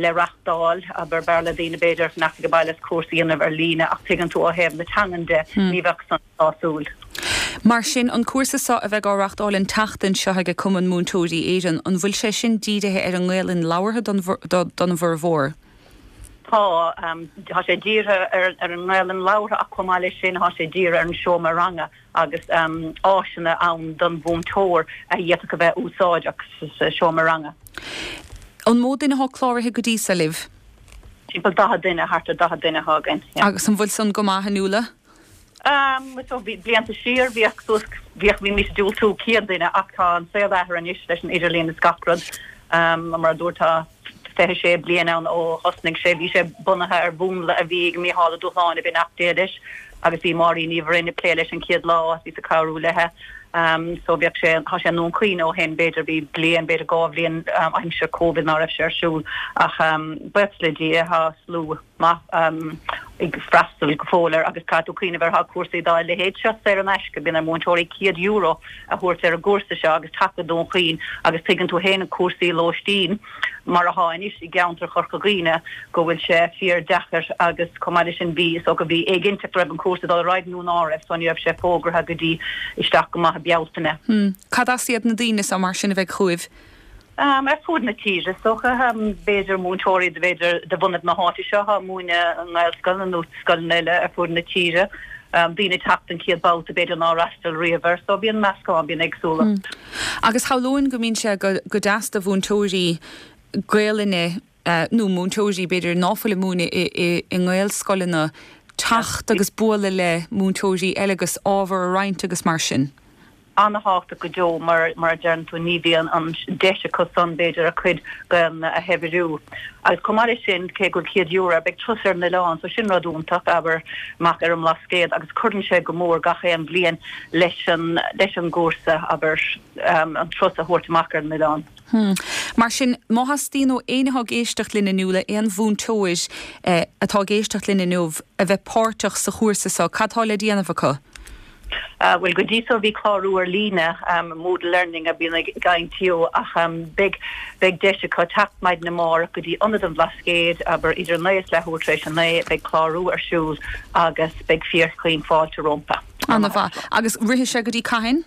le reachtáil, abair b'fhearr le daoine b'fhéidir fanacht ag baile is cúrsa a dhéanamh ar líne ach tuigeann tú ó thaobh na teangan de ní bheadh san sásúil. Mar sin, an cúrsa seo a bheidh á reachtáil an tseachtain seo ag Cumann Múinteoirí Éireann, an bhfuil sé sin dírithe ar an nGaelainn labhartha don don bhformhór? Tá. Tá sé dírithe ar an nGaelainn labhartha ach chomh maith leis sin tá sé dírithe ar an seomra ranga agus áiseanna ann don mhúinteoir a d'fhéadfadh a bheith úsáideach sa seomra ranga. An mó duine atá cláraithe go dtí seo libh? Timpeall 40 duine, thart ar 40 duine atá againn, yeah. Agus an bhfuil san go maith, a Nuala? So bhí blianta siar bhíodh suas, bhíodh, bhímís ag diúltú 100 duine ach tá an saol athraithe anois leis an idirlíon is gach rud. Mar a dúirt tá 26 bliain ann ó thosnaigh sé, bhí sé bunaithe ar mhúnla a bhí ag Mícheál Ó Dúshláine, beannacht Dé leis, agus bhí Máirín Ní Bhroin ag plé leis an chéad lá agus bhíos ag cabhrú léithe. So bheadh sé, tá sé i nDún Chaoin ó shin, b'fhéidir bhí bliain, b'fhéidir dhá bhliain aimsir Covid ná raibh sé ar siúl ach buíochas le Dia tá slua. maith ag freastal go fóill air agus caithfidh tú cuimhneamh ar tá cúrsaí dá leithéid seo saor in aisce, bíonn ar mhúinteoirí €100 a thabhairt ar an gcúrsa seo agus teacht go Dún Chaoin agus tuigeann tú féin cúrsaí lóistín mar athá anois i gceantar Chorca Dhuibhne go bhfuil sé fíor deacair agus chomh maith leis sin bhí is dócha bhí éiginnteacht raibh an cúrsa ag dul ar aghaidh nó ná raibh so ní raibh sé fógartha go dtí isteach go maith i Bealtaine. Cad as iad na daoine seo mar sin a bheidh chugaibh? Ar fud na tíre, is dócha. B'fhéidir múinteoirí, b'fhéidir de bhunadh na háite seo atá ag múineadh i nGaelscoileanna nó scoileanna eile ar fud na tíre. Daoine ag teacht an chéad babhta b'fhéidir nár fhreastail riamh air. So bíonn meascán, bíonn éagsúlacht. Agus shamhlóinn go mbíonn sé go deas do mhúinteoirí Gaelainne nó múinteoirí b'fhéidir ná fuil ag múineadh i nGaelscoileanna teacht agus bualadh le múinteoirí eile agus ábhar a roinnt agus mar sin. An-thábhachtach go deo mar, mar a deireann tú, ní bhíonn an deis acu san, b'fhéidir, a cuid Gaelainne a shaibhriú. Agus chomh maith leis sin, cé go bhfuil €100 air, beidh turas ar an oileán, so sin rud iontach, abair, amach ar an mBlascaod agus cuireann sé go mór gach aon bhliain leis an, leis an gcúrsa, abair, an turas a thabhairt amach ar an oileán. Mar sin, má theastaíonn ó éinne atá ag éisteacht linn inniu, le aon mhúinteoir atá ag éisteacht linn inniu a bheith páirteach sa chúrsa seo, cad tá le déanamh acu? Bhuel, go dtí so bhí clárú ar líne, Moodle Learning a bhíonn ag INTO, ach beidh beidh deis acu teacht maidin amárach go dtí Ionad an Bhlascaoid, abair, idir 9 is leathuair tar éis a 9, beidh clárú ar siúl agus beidh fíorchaoin fáilte rompu. Ana-mhaith. Agus rithfidh sé go dtí cathain?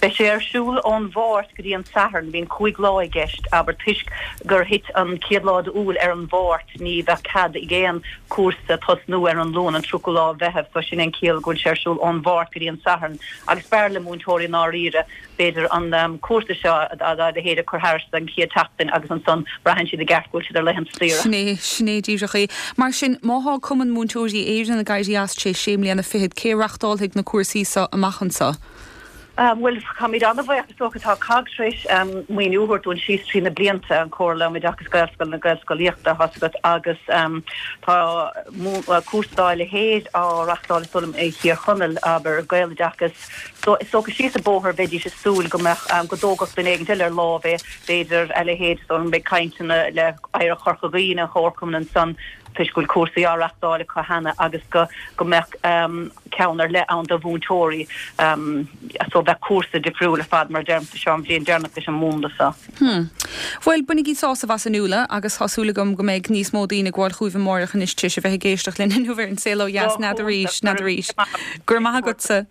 Beidh sé ar siúl ón Mháirt go dtí an Satharn. Bíonn 5 lá i gceist, abair, toisc gur thit an chéad lá d'Iúil ar an Mháirt, ní bheadh cead ag aon chúrsa tosnú ar an Luan, an 30ú lá Mheitheamh, so sin é an ciall go bhfuil sé ar siúl ón Mháirt go dtí an Satharn. Agus b'fhearr le múinteoirí i ndáiríre, b'fhéidir, an cúrsa seo dá leithéid a chur thairis don chéad tseachtain agus ansan braitheann siad i gceart go bhfuil siad ar laethanta saoire. Sin é, sin é díreach é. Mar sin, má thá Cumann Múinteoirí Éireann ag éirí as tar éis sé mbliana fichead, cé a reachtálfaidh na cúrsaí so amach anso? Bhuel, táimid an-bhuíoch, is dócha. Tá COGG tar éis maoiniú a thabhairt dúinn síos trí na blianta, an Chomhairle um Oideachas Gaelscoileanna Gaelscolaíochta, tá's agat, agus tá cúrsa dá leithéid á reachtáil is dóigh liom i Thír Chonaill, abair, Gaeloideachas. So, is dócha síos an bóthar bheidís ag súil go mbeadh, go dtógfadh duine éigin eile ar láimh é, b'fhéidir, a leithéid, is dóigh liom, beidh cainteanna le Oidhreacht Chorca Dhuibhne, an Chomharchumann ansan, toisc go bhfuil cúrsaí á reachtáil acu cheana agus go go mbeadh ceann ar leith ann do mhúinteoirí so bheadh cúrsa difriúil ar fad mar a deirimse seo an bhliain deireanach leis an múnla seo. Hmm. Bhuel, bainigí sásamh as a Nuala agus tá súil agam go mbeidh níos mó daoine ag gabháil chugaibh amáireach anois tar éis a bheith ag éisteacht linn inniu ar an Saol Ó Dheas n'fheadar arís, n'fheadar arís. Go raibh maith agatsa.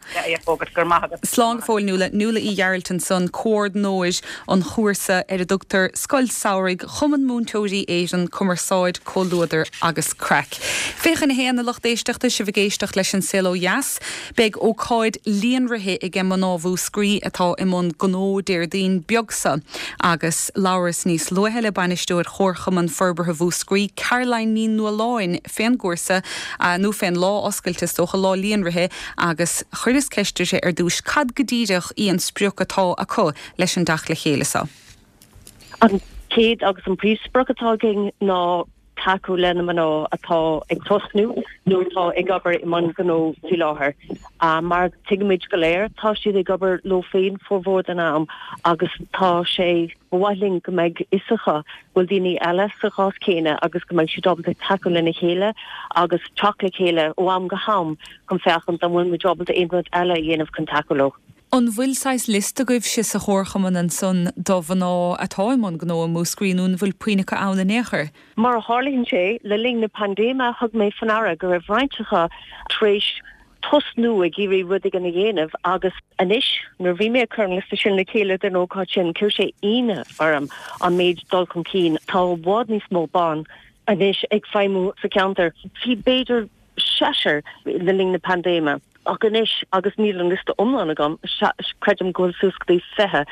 Go raibh maith agat. Slán go fóill Nuala. Nuala Uí Ghearailt ansan, comhordnóir an chúrsa ar a dtugtar Scoil Samhraidh Chumann Múinteoirí Éireann, Cumarsáid, Comhluadar agus Craic. 21 a lucht éisteachta, sibh ag éisteacht leis An Saol Ó Dheas. Beidh ócáid líonraithe aige mná Mhúscraí atá i mbun gnó Déardaoin beag seo agus labhras níos luaithe le Bainisteoir Chomharchumann Forbartha Mhúscraí, Caroline Ní Nualláin fén gcúrsa, nó fén lá oscailte is dócha, lá líonraithe agus chuireas ceist uirthi ar dtúis cad go díreach í an sprioc atá acu leis an dteacht le chéile seo. An chéad agus an príomhsprioc atá againn ná. tacú le na mná atá ag tosnú nó atá ag obair i mbun gnó faoi láthair. Mar tuigimid go léir, tá siad ag obair leo féin formhór den am agus tá sé, ba mhaith linn go mbeidh fhios acu go bhfuil daoine eile sa chás céanna agus go mbeidh siad ábalta tacú lena chéile agus teacht le chéile ó am go ham chun féachaint an bhfuil muid ábalta aon rud eile a dhéanamh chun tacú leo. An bhfuil saghas liosta agaibhse sa chomharchumann ansan do mhná atá i mbun gnó i Múscraí nó an bhfuil puinn acu ann in aon chor? Mar a tharlaíonn sé, le linn na paindéime thug mé faoi ndeara go raibh roinnt acu tar éis tosnú ag iarraidh rud éigin a dhéanamh agus anois nuair a bhí mé ag cur an liosta sin le chéile don ócáid sin chuir sé ionadh orm an méid dul chun cinn. Tá i bhfad níos mó ban anois ag feidhmiú sa cheantar. Bhí b'fhéidir seisear le linn na paindéime. Ach anois, agus níl an liosta iomlán agam, creidim go bhfuil suas go dtí 20,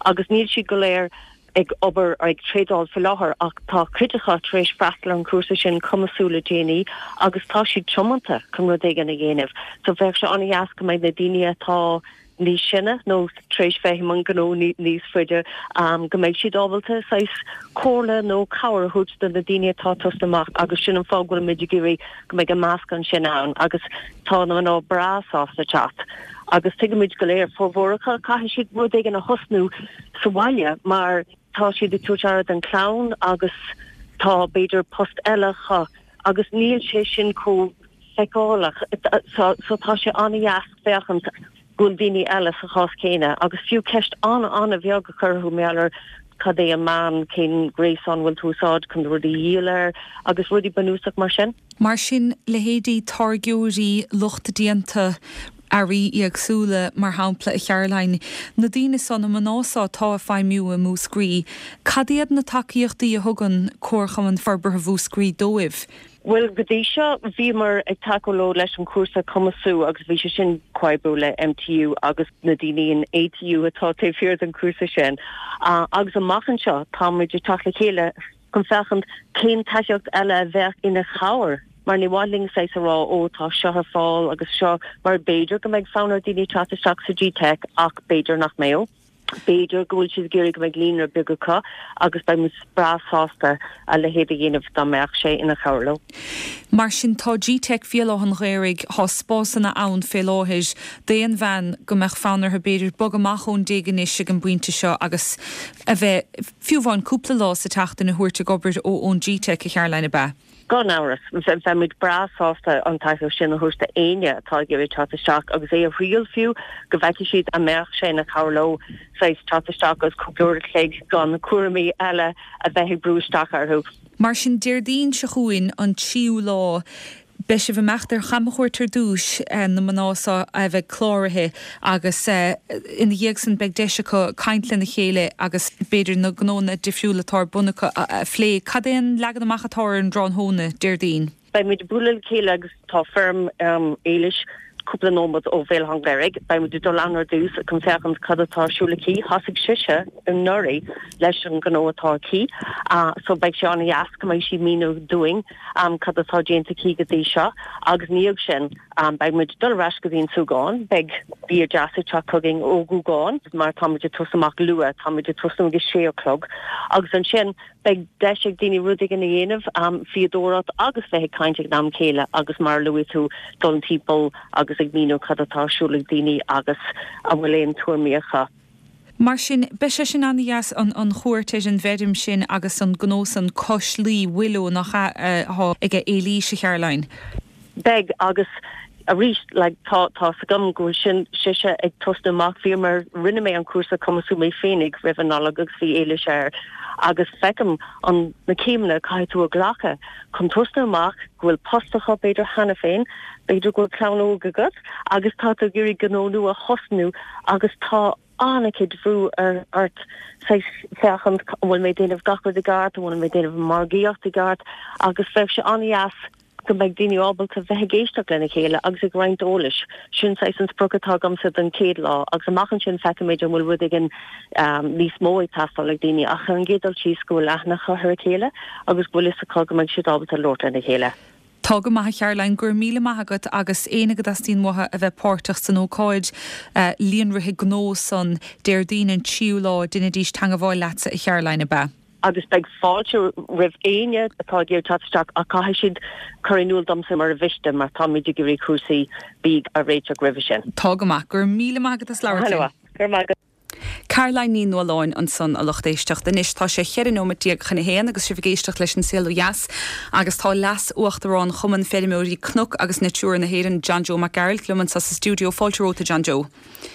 agus níl siad go léir ag obair ag tréadáil faoi láthair ach tá cuid acu tar éis freastal ar an chúrsa sin cumasú le déanaí agus tá siad tiomanta chun rud éigin a dhéanamh. So bheadh sé an-dheas go mbeidh na daoine atá níos sine nó tar éis bheith i mbun gnó níos faide, go mbeidh siad ábalta saghas comhairle nó cabhair a thabhairt do na daoine atá ag tosnú amach agus sin an fáth go bhfuil muid ag iarraidh go mbeidh an meascán sin ann agus tá na mná breá sásta teacht agus tuigimid go léir, formhór acu, caithfidh siad rud éigin a thosnú sa bhaile mar tá siad ag tabhairt aire don chlann agus tá b'fhéidir post eile acu agus níl sé sin chomh feiceálach so tá sé an-dheas féachaint go bhfuil daoine eile sa chás céanna agus fiú ceist an-an-bheag a chur orthu mar gheall ar cad é an meán, cén gréasán bhfuil tú úsáid chun rudaí a dhíol air agus rudaí bunúsach mar sin. Mar sin, leithéidí táirgeoirí, lucht déanta earraí éagsúla, mar shampla, a Charoline, na daoine so, na mná so atá ag feidhmiú i Múscraí, cad iad na tacaíochtaí a thugann Comharchumann Forbartha Mhúscraí dóibh? Bhuel, go dtí seo bhíomar ag tacú leo leis an chúrsa Cumasú agus bhí sé sin comhoibriú le MTU agus na daoine in ATU atá taobh thiar den chúrsa sin. Agus amach anseo táimid ag teacht le chéile chun féachaint cén tacaíocht eile a bheadh ina chabhair mar ní mhaith linn saghas a rá ó tá seo ar fáil agus seo mar b'fhéidir go mbeidh fonn ar daoine teacht isteach sa GTeic ach b'fhéidir nach mbeadh. B'fhéidir go bhfuil siad ag iarraidh go mbeidh líonra beag acu agus beidh muid breá sásta a leithéid a dhéanamh dá mbeadh sé ina chabhair leo. Mar sin, tá GTeic Bhéal Átha an Ghaorthaidh, tá spásanna ann fé láthair d'aon bhean go mbeadh fonn orthu b'fhéidir bogadh amach ón dtigh anois ag an bpointe seo agus a bheith, fiú amháin cúpla lá sa tseachtain a thabhairt ag obair ó ón GTeic, a Charoline, ab ea? Gan amhras, bheadh muid breá sásta an tacaíocht sin a thabhairt d'éinne atá ag iarraidh teacht isteach agus é a thriail fiú, go bhfeicfidh siad an mbeadh sé ina chabhair leo saghas teacht isteach agus cúpla uair a chloig gan cúraimí eile a bheith ag brú isteach orthu. Mar sin, Déardaoin seo chugainn, an tríú lá, Beidh sibh ag imeacht ar chamchuairt ar dtús, na mná seo a bheidh cláraithe, agus ina dhiaidh san beidh deis acu caint lena chéile agus b'fhéidir na gnónna difriúla atá ar bun acu a phlé. Cad é an leagan amach atá ar an dtráthnóna, Déardaoin? Beidh muid ag bualadh le chéile agus tá feirm Éilis cúpla nóiméad ó Bhéal Átha an Ghaorthaidh. Beidh muid ag dul ann ar dtús chun féachaint cad atá ar siúl aici. Thosaigh sise anuraidh leis an ghnó atá aici so beidh sé an-dheas go mbeidh sí ag míniú dúinn cad atá déanta aici go dtí seo agus ina dhiaidh sin beidh muid ag dul ar ais go dtí an Súgán. Beidh bia deas ag teacht chugainn ó Ghúgán mar tá muid ag tosú amach luath, tá muid ag tosnú ag a sé a chlog agus ansin beidh deis ag daoine rud éigin a dhéanamh, fíodóireacht agus bheith ag caint ag an am céile agus mar a luaigh tú, dul timpeall agus ag míniú cad atá ar siúl ag daoine agus an bhfuil aon tuairmí acu. Mar sin, beidh sé sin an-dheas, an chuairt ar an bhfeirm sin agus an gnó san cois Laoi, Willow, nach ea, atá aige Éilís, a Charoline? Beidh, agus arís, like, tá, tá 's agam go bhfuil sin, sise ag tosnú amach, bhíomar, rinne mé an cúrsa cumasú mé féinig roimh an Nollaig agus bhí Éilis air agus feicim an, na céimeanna a caithfidh tú a ghlacadh chun tosnú amach, go bhfuil post acu b'fhéidir cheana féin, b'fhéidir go bhfuil clann óg agat agus tá tú ag iarraidh gnó nua a thosnú agus tá an-chuid bhrú ar, ort saghas féachaint an bhfuil mé ag déanamh gach rud i gceart, an bhfuil mé ag déanamh an margaíocht i gceart agus bheadh sé an-dheas go mbeidh daoine ábalta bheith ag éisteacht lena chéile agus ag roinnt eolais. Sin saghas an sprioc atá agamsa don chéad lá agus amach ansin feicfimid an bhfuil rud éigin níos mó ag teastáil ag daoine ach ar an gcéad dul síos go bhfuil aithne acu ar a chéile agus go bhfuil fhios acu go mbeidh siad ábalta labhairt lena chéile. Tá go maith a Charoline, go raibh míle maith agat agus éinne go dteastaíonn uathu a bheith páirteach san ócáid líonraithe gnó san Déardaoin an tríú lá, deinidís teangabháil leatsa a Charoline, ab ea? Agus beidh fáilte roimh éinne atá ag iarraidh teacht isteach ach caithfidh siad cur in iúl domsa mar a mhiste mar táimid ag iarraidh cúrsaí bídh a réiteach roimhe sin. Tá go maith. Go raibh míle maith agat as labhairt linn. Go raibh maith agat. Caroline Ní Nualláin ansan, a lucht éisteachta. Anois tá sé cheithre nóimeat déag chun a haon agus sibh ag éisteacht leis an Saol Ó Dheas agus tá Leas-Uachtarán Chumann Feirmeoirí Cnoc agus Natura na hÉireann, John Joe Mac Gearailt liom anso sa stiúideo. Fáilte romhat a John Joe.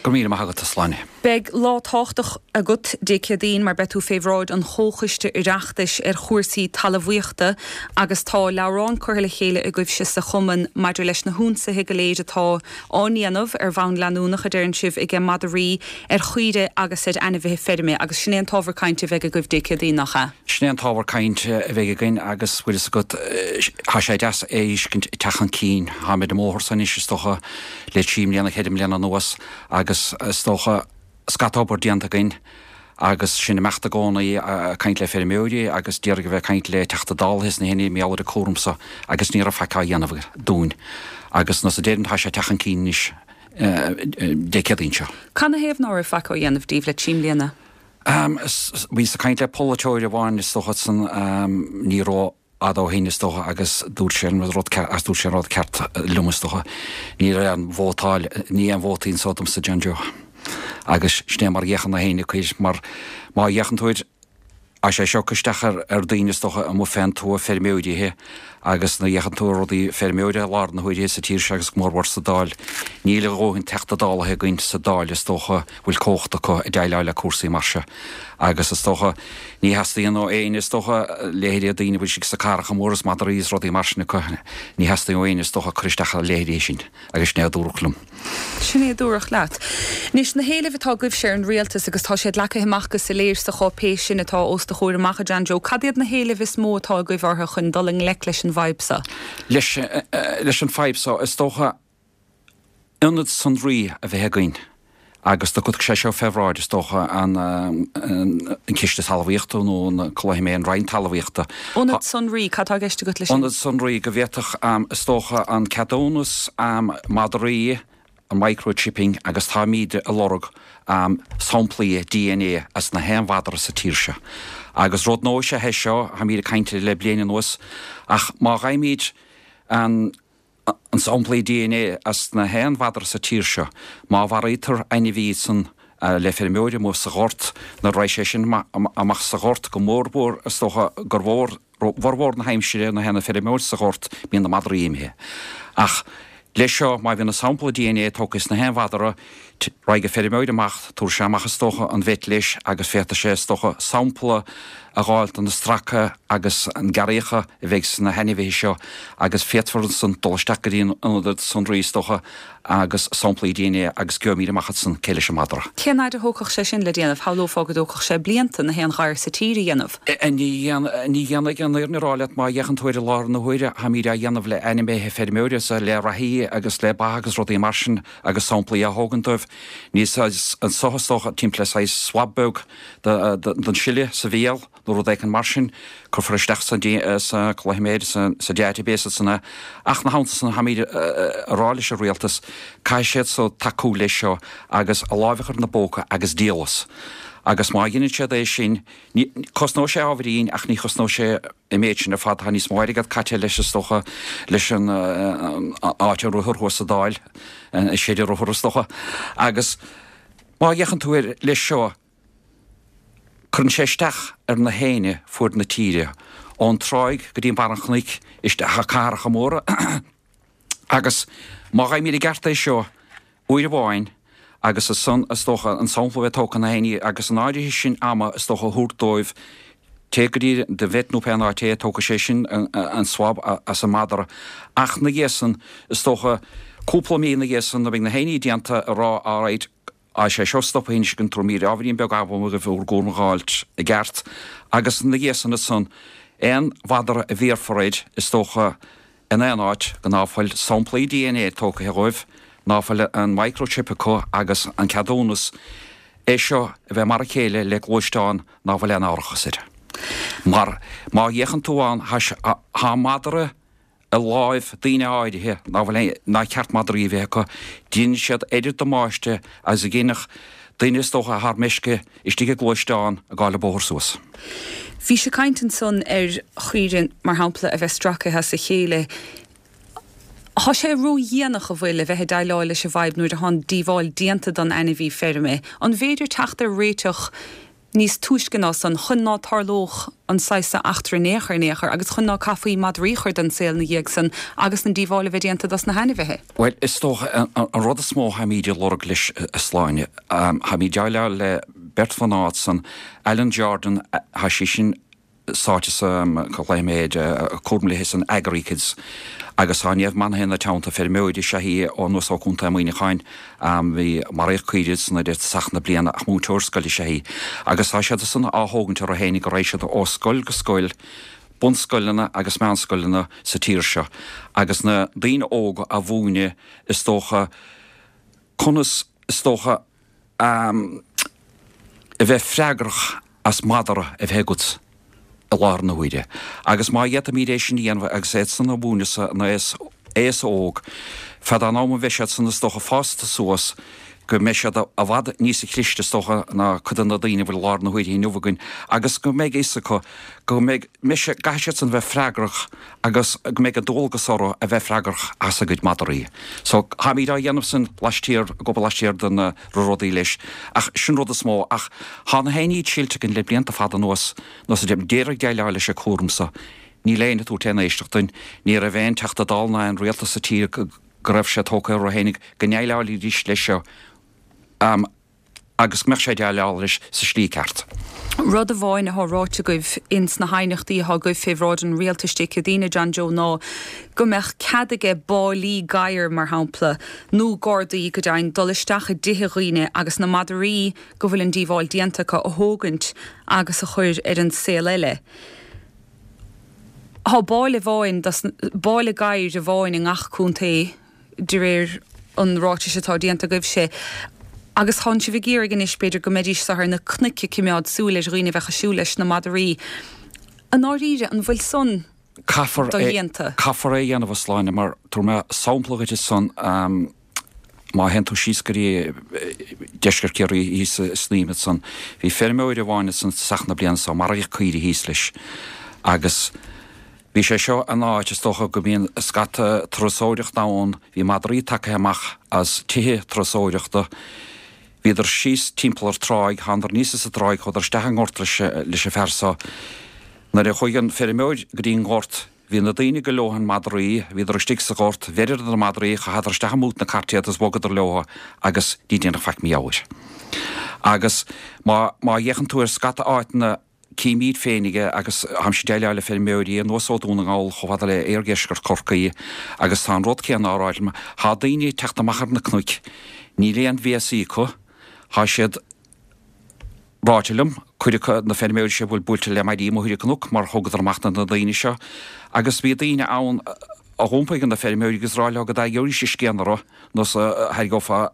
Go raibh míle maith agat, a Shláine. Beidh lá tábhachtach agat Dé Céadaoin mar beidh tú fé bhráid an Chomhchoiste Oireachtais ar chúrsaí talmhaíochta agus tá leabhrán curtha le chéile agaibhse sa Chumann maidir leis na hionsaithe go léir atá á ndéanamh ar bhonn leanúnach, a deireann sibh, aige madraí ar chaoirigh agus ar ainmhithe feirme agus sin é an t-ábhar cainte a bheidh agaibh Dé Céadaoin, nach ea? Sin é an t-ábhar cainte a bheidh againn agus bhfuil fhios agat, tá sé deas é a fheiscint ag teacht chun cinn. Táimid ar an mbóthar so anois is dócha le trí mbliana, cheithre mbliana anuas agus is dócha scata obair déanta againn agus sinn ag imeacht i gcónaí ag caint le feirmeoirí agus d'iarraidh a bheith ag caint le Teachta Dála is na héinne mar gheall ar an cúram so agus ní raibh faic á dhéanamh dúinn agus nós a deirim tá sé ag teacht chun cinn anois Dé Céadaoin seo. Canathaobh ná raibh faic á dhéanamh daoibh le trí mbliana? Bhíos ag caint le polaiteoir amháin is dócha san ní ró fhada ó shin is dócha agus dúirt sé an rud ceart agus dúirt sé an rud ceart liom is dócha. Ní raibh aon vótáil, ní aon vótaí anso domsa John Joe. Agus sin é mar a fhéachann na héinne acu air mar má fhéachann tú air tá sé seo ag cur isteach ar ar daoine is dócha amuigh fén tuath feirmeoirithe agus nuair a fhéachann tú ar rudaí feirmeoirithe i láthair na huaire sa tír seo agus go mórmhór sa Dáil níl a dhóthain Teachta Dálaithe againn sa Dáil is dócha bhfuil cumhacht acu ag déileáil le cúrsaí mar seo agus is dócha ní theastaíonn ó éinne is dócha leithéidí daoine a bhfuil siad sna cathracha móra is madraí is rudaí mar sin acu ní theastaíonn ó éinne is dócha cur isteach ar a leithéidí sin agus sin é a dúradh liom. Sin é a dúradh leat. Anois na héilimh atá agaibhse ar an rialtas agus tá siad leagtha amach go soiléir sa cháipéis sin atá os do chomhair amach a John Joe, cad iad na héilimh is mó atá agaibh orthu chun dul i ngleic leis an bhfadhb seo? Leis leis an fadhb seo is dócha ionad sonraí a bheith againn agus do cuirfidh sé seo fé bhráid, is dócha, an Ciste Talmhaíochta nó an cloífidh mé an Roinn Talmhaíochta. Ionad sonraí, cad tá i gceist agat leis sin? Ionad sonraí go bhféadfadh, is dócha, an ceadúnas madraí, an microchipping agus táimíd ag lorg samplaí DNA as na haon mhadra sa tír seo. Agus rud nua is ea é seo, táimíd ag caint air le bliain anuas, ach má gheibhimíd an an samplaí DNA as na haon mhadra sa tír seo. Má mharaítear ainmhí san le feirmeoir amuigh sa ghort, nuair a raghaidh sé sin amach sa ghort, go mór mhór is dócha gur mhór, bhformhór na haimsire nuair a théann an feirmeoir sa ghort bíonn na madraí imithe. Ach leis seo má bhíonn an sampla DNA tógtha as na haon mhadra, raghaidh an feirmeoir amach, tabharfaidh sé amach is dócha an vet leis agus féadfaidh sé is dócha sampla a dh'fháil de na stractha agus an gearraíocha a bheidh sna hainmhithe seo agus féadfar ansan dul isteach go dtí an ionad sonraí is dócha agus samplaí DNA agus gheobhaimid amach ansan cé leis an madra. Cén fhaid a thógfadh sé sin le déanamh? Shamhlófá go dtógfadh sé blianta na haon ghadhar sa tír a dhéanamh. Ní dhéanfaidh an fhírinne a rá leat má fhéachann tú air i láthair na huaire táimid á dhéanamh le ainmhithe feirmeoirí is le reathaí agus le ba agus rudaí mar sin agus samplaí á thógaint dóibh. Níl anso is dócha timpeall le saghas swab beag den sileadh sa bhéal nó rud éicint mar sin, cuirfear isteach sa chloiméad, sa database ansan é. Ach ina theannta san, táimid a rá leis an rialtas, caithfidh siad so tacú leis seo agus a láimh a chur ina bpóca agus díol as. Agus má dheineann siad é sin, cosnóidh sé ábhairín ach ní chosnóidh sé an méid sin ar fad. Tá níos mó airgead caite leis is dócha, leis an áit ar rothar thuas sa Dáil, an seid ar rothar is dócha. Agus má fhéachann tú air leis seo, Cuireann sé isteach ar na héinne fuaid na tíre, ón tráigh go dtí barr an chnoic, isteach i cathracha móra agus má gheibhimid i gceart é seo uair amháin agus ansan is dócha an sampla a bheith tógtha na héinne agus an áirithe sin ama is dócha a thabhairt dóibh téigh go dtí do vet nó pé an áit é tógfaidh sé sin an swab as an madra ach 'na dhiaidh san is dócha cúpla mí 'na dhiaidh san nuair a bheidh na héinní déanta a rá alright Tá sé seo stoptha anois againn tabharfaimid ábhairín beag ama dhaoibh bhur gcúram a dh'fháilt i gceart agus ina dhiaidh san ansan aon mhadra a bhéarfar air is dócha in aon áit go ná fuil samplaí DNA tógtha dhóibh, ná fuil an microchip acu agus an ceadúnas, é seo a bheith mar a chéile le gluaisteán ná fuil aon árachas air. Mar má fhéachann tú ann tá madra i láimh daoine áirithe ná fuil aon, nár cheart madraí a bheith acu. Déanann siad oiread damáiste agus a dhéanfadh duine is dócha atá ar meisce istigh i gluaisteán ag fáil an bóthar suas. Bhís ag caint ansan ar chaoirigh, mar shampla, a bheith stracaithe as a chéile. Thá sé ró-dhéanach, an bhfuil, a bheith ag déileáil leis an bhfadhb nuair athá an díobháil déanta don ainmhí feirme. An bhféidir teacht ar réiteach níos túisce ná san, chun ná tarlódh an saghas so eachtra in aon chor in aon chor agus chun ná caithfí madraí a chur den saol 'na dhiaidh san agus an díobháil a bheith déanta dos na hainmhithe? Bhuel, is dócha, an rud is mó tháimíd ag lorg leis, a Shláine, tháimíd ag déileáil le beirt mhná ansan, Alan Jordan, thá sí sin sáite sa, glaofaidh mé air, cúram léithe san AgriKids agus tá Niamh Manahan ina teannta, feirmeoir is ea í ó anuas ó Chontae Mhuineacháin, bhí, maraíodh caoirigh ansan i dtosach na bliana ach múinteoir scoile is ea í agus tá siad san á thógaint orthu fhéinig go raghaidh siad ó scoil go scoil, bunscoileanna agus meánscoileanna sa tír seo agus na daoine óga a mhúineadh is dócha conas is dócha a bheith freagrach as madra a bheith agat i láthair na huaire. Agus má fhéadfaimíd é sin a dhéanamh agus iad san a mhúineadh san aos, aos óg, fad an am a bheidh siad san is dócha fásta suas, go mbeidh siad i bhfad níosa chliste is dócha ná cuid de na daoine a bhfuil i láthair na huaire inniu againn agus go mbeidh a fhios acu go mbeidh, mbeidh sé, gcaithfidh siad san bheith freagrach agus go mbeidh an dualgas orthu a bheith freagrach as a gcuid madraí. So, táimíd á dhéanamh san laistiar, ag obair laistiar de na rudaí leis. Ach sin rud is mó. Ach thá na héinne iad silte againn le blianta fada anuas, nós a d'iarraidh déileáil leis an cúram so. Níl éinne ag tabhairt aon éisteacht duinn. Ní raibh aon Teachta Dála ná aon rialtas sa tír go raibh sé tógtha orthu fhéinig go ndéileálfaidís leis seo. Agus go mbeadh sé déileáil leis sa slí ceart. Rud amháin athá ráite agaibh ins na haighneachtaí athá agaibh fé bhráid an Rialtais Dé Céadaoine, John Joe, ná go mbeadh cead aige báillí gadhar, mar shampla, nó gardaí go deimhin, dul isteach i dtithe dhaoine agus na madraí go bhfuil an díobháil déanta acu a thógaint agus a chur ar an saol eile. Thá báille amháin, báille gadhair amháin i ngach contae. de réir an ráitis atá déanta agaibhse, agus tánn sibh ag iarraidh anois, b'fhéidir, go mbeidís ar na cnoic ag coimeád súil ar dhaoine a bheadh ag siúl leis na madraí. I ndáiríre, an bhfuil san Caithfear é, dodhéanta? caithfear é a dhéanamh, a Shláine, mar tabharfaidh mé sampla dhuit ansan, má théann tú síos go dtí deisceart Chiarraí thíos i Snaidhm ansan, bhí feirmeoir amháin ansan tosach na bliana so, maraíodh caoirigh thíos leis agus, Bhí sé seo in áit, is dócha, go mbíonn scata turasóireachta ann, bhí madraí tagtha amach as tithe turasóireachta, bhíodar síos timpeall ar tráigh, thánadar aníos as an dtráigh, chuadar isteach i ngort leis leis an fear so. Nuair a chuaigh an feirmeoir go dtí an gort, bhí na daoine go leobhtha na madraí, bhíodar istigh sa ghort, bheireadar na madraí, chaitheadar isteach i mbút na cairt iad agus bhogadar leobhtha agus ní déanadh faic mar gheall air. Agus má má fhéachann tú ar scata áiteanna, Címid féinig é agus táimse ag déileáil le feirmeoirí anuas ó Dún na nGall chomh fada le iardheisceart Chorcaí agus tá an rud céanna á rá liom. Tá daoine ag teacht amach ar na cnoic, níl aon bhéasaí acu, tá siad ráite liom, cuid acu na feirmeoirí seo a bhfuil buailte le maidí amuigh ar an gcnoc mar thugadar amach na daoine seo agus bhí daoine ann a dh'iompaigh ar na feirmeoirí agus rá leo go dtaigeoidís a scian orthu nó a thairgeofá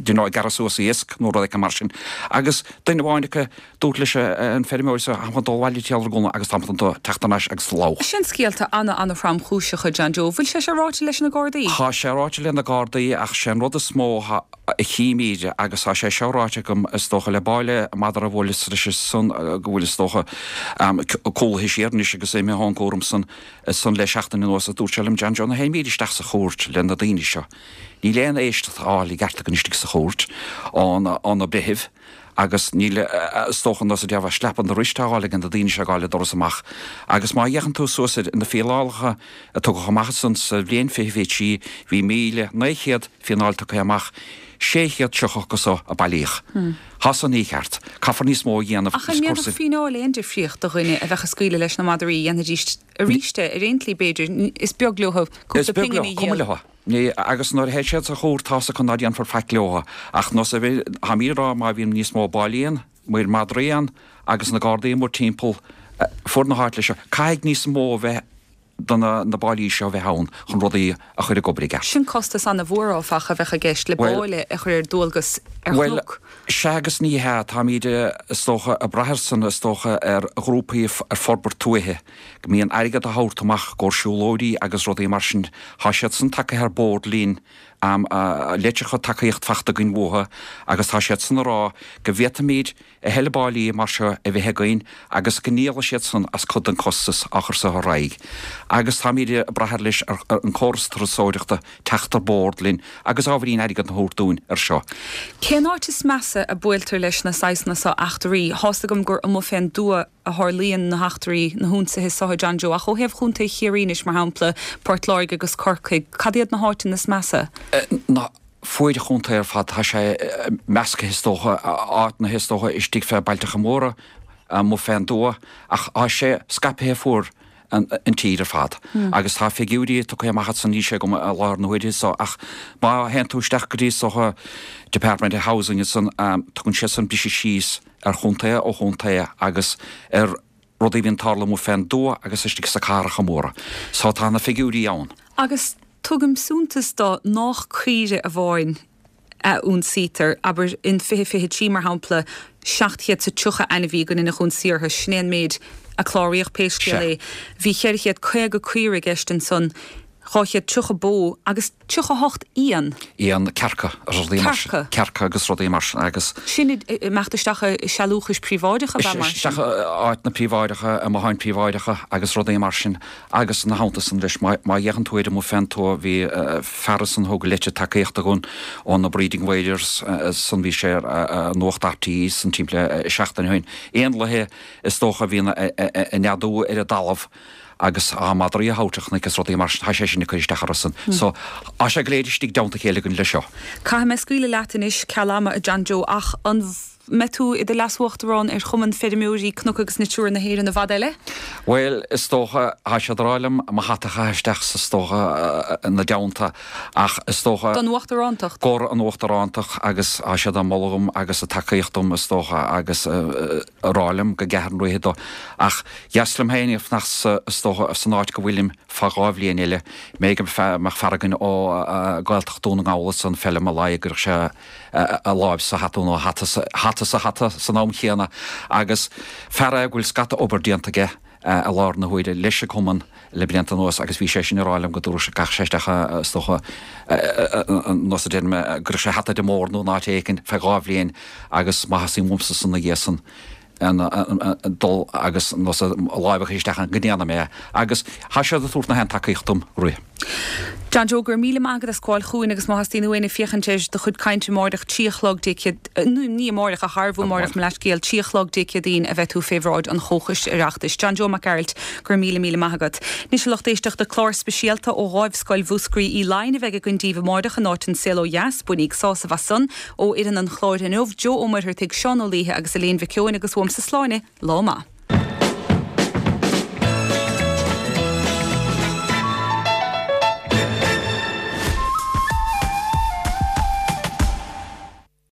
you know, ag gearradh suas iasc nó rud éicint mar sin. Agus duine amháin acu, dúirt leis an feirmeoir so, táim chun dul abhaile timcheall ar gcúnamh agus táim chun teacht thar n-ais agus lobhadh. Sin scéalta ana-ana-thromchúiseacha, John Joe. Bhfuil sé seo ráite leis na Gardaí? Tá sé ráite le na Gardaí ach sé an rud is mó a chímíd agus tá sé seo ráite agam is dócha le báille madra a bhuaileas leis san go bhfuil is dócha cúlaithe siar anois agus imithe ón gcúram san san le seachtain anuas a dúirt sé liom John Joe nuair a théimíd isteach sa chúirt le na daoine seo. Níl aon éisteacht á fháil i gceart againn istigh sa chúirt ó na breithimh agus níl, is dócha, nós a déarfá, slap on the wrist á fháil ag na daoine seo ag gabháil an doras amach. Agus má fhéachann tú suas ar na fíneálacha a tugadh amach ansan sa bhliain 2023, bhí 1,900 fíneáil tugtha amach, 630 acu so a bailíodh. Tá san mícheart. Caithfear níos mó a dhéanamh Ach an ndéanfadh fíneáil aon difríocht do dhuine a bheadh ag scaoileadh leis na madraí, dhéanfaidís arís é ar aon tslí b'fhéidir, is beag leo cúpla pingin a dhíol. Is beag leo, cuma leo. Ní, agus nuair a théid siad sa chúirt tá's acu ná déanfar faic leo. Ach nós a bhí, táimíd ag rá má bhíonn níos mó báillí ann, maor madraí ann, agus na Gardaí amuigh timpeall fuaid na háite leis seo, caithfidh níos mó a bheith de na na báillí seo a bheith ann chun rudaí a chur ag obair i gceart. Sin costas ana-mhór áfach a bheadh i gceist le Bhuel, báille a chur ar dualgas ar bhuel, chnoc. sea agus ní hea. Táimíd, is dócha, ag brath ar san, is dócha, ar ghrúpaí ar forbairt tuaithe. go mbíonn airgead á thabhairt amach i gcomhair siúlóidí agus rudaí mar sin, tá siad san tagtha ar bord linn. Litreacha tacaíocht fachta againn uathu agus tá siad san a rá go bhféadfaimid a thuilleadh báillí mar seo a bheith againn agus go ndíolfaidh siad san as cuid den costas á chur so ar aghaidh. Agus táimid ag brath ar leis ar an córas turasóireachta teacht ar bord linn agus ábhairín airgead a thabhairt dúinn ar seo. Cén áit is measa a buailtear leis na saghsanna so eachtraí? Thá's agam gur amuigh fén dtuath a tharlaíonn na heachtraí, na hionsaithe so, a John Joe, ach ó thaobh Chontae Chiarraí anois, mar shampla, Port Láirge agus Corcaigh, cad iad na háiteanna is measa? Na fuaid an chontae ar fad, tá sé measctha is dócha, áiteanna is dócha istigh fé bailteacha móra, amuigh fén dtuath, ach tá sé scaipthe fuair an tír ar fad. Agus tá figiúirí tugtha amach ansan, níl sé agam i láthair na huaire so, ach má théann tú isteach go dtí is dócha Department of Housing ansan, tugann siad san briseadh síos ar chontae ó chontae agus ar rudaí a bhíonn ag tarlú amuigh fén dtuath agus istigh sna cathracha móra. So tá na figiúirí ann. Agus tugaim suntas do nách caoire amháin a ionsaítear, abair in 2023 mar shampla, 730 ainmhí go ndeineadh ionsaí orthu, sin é an méid a cláraíodh pé scéal é. Bhí 450 caora i gceist ansan, 230 bó agus 38 éan. Éan, cearca agus rudaí mar sin. Cearca. Cearca agus rudaí mar sin agus. Sin ag imeacht isteach i sealúchais príobháideacha ab ea mar sin? Isteach i áiteanna príobháideacha, i mbotháin príobháideacha agus rudaí mar sin. Agus ina theannta san leis, má fhéachann tú air amuigh fén tuath, bhí fear ansan a thug leitir tacaíochta dhúinn ó na Breeding Warriors san, bhí sé ar Nuacht RTÉ san timpeall seachtain ó shin. Éanlaithe is dócha a bhíonn ag neadú ar an dtalamh agus á madraí a thabhairt a chnoic is rudaí mar sin, tá sé sin ag cur isteach orthu san. So, tá sé go léir istigh i dteannta a chéile againn leis seo. Caithfidh mé scaoileadh leat anois ceal ama, a John Joe, ach an. mbeidh tú i do leas-uachtarán ar Chumann Feirmeoirí Cnoc agus Natura na hÉireann i bhfad eile? Bhuel, is dócha, tá siad ag rá liom mo hata a chaitheamh isteach is dócha ina dteannta, ach is dócha. Don uachtarántacht? Gur an uachtarántacht agus tá siad á moladh dhom agus ag tacaíocht dom is dócha agus ag rá liom go gcaithfinn rith dó. Ach dheas liom féin fanacht sa, is dócha, san áit go bhfuilim fá dha bhliain eile. B'fhéidir go mbeadh fear againn ó Gaeltacht Dún na nGall ansan, Felim Ó Laidhe, go gcuirfeadh sé a láimh sa hata nó a hata hata sa hata san am chéanna agus fear é go bhfuil scata obair déanta aige i láthair na huaire leis an gcumann le blianta anuas agus bhí sé sin ag rá liom go dtabharfadh sé gach sé isteach is dócha nós a deir mé go gcuirfeadh sé hata ar an mbord nó in áit éicint feadh dha bhliain agus má theastaíonn uaimsa san ina dhiaidh san dul agus nós láimh a chur isteach ann go ndéanfaidh mé é agus tá siad ag tabhairt na haon tacaíocht dom rith. John Joe, go raibh míle maith agat as gabháil chugainn agus má theastaíonn uainn féachaint ar do chuid cainte amáireach, 3 a chlog Dé Céad, ní amáireach ach arbú amáireach, mo leathscéal, 3 a chlog Dé Céadaoin a bheidh tú fé bhráid an Chomhchoiste Oireachtais. John Joe Mac Gearailt, go raibh míle míle maith agat. Anois a lucht éisteachta, clár speisialta ó Dháimhscoil Mhúscraí Uí Laighin a bheidh againn daoibh amáireach in áit an Saol Ó Dheas. Bainíg sásamh as san. Ó fhoireann an chláir inniu, Joe Ó Muircheartaigh, Seán Ó Laoithe agus Elaine Mhic Eoin agus uaimse Sláine, lá maith.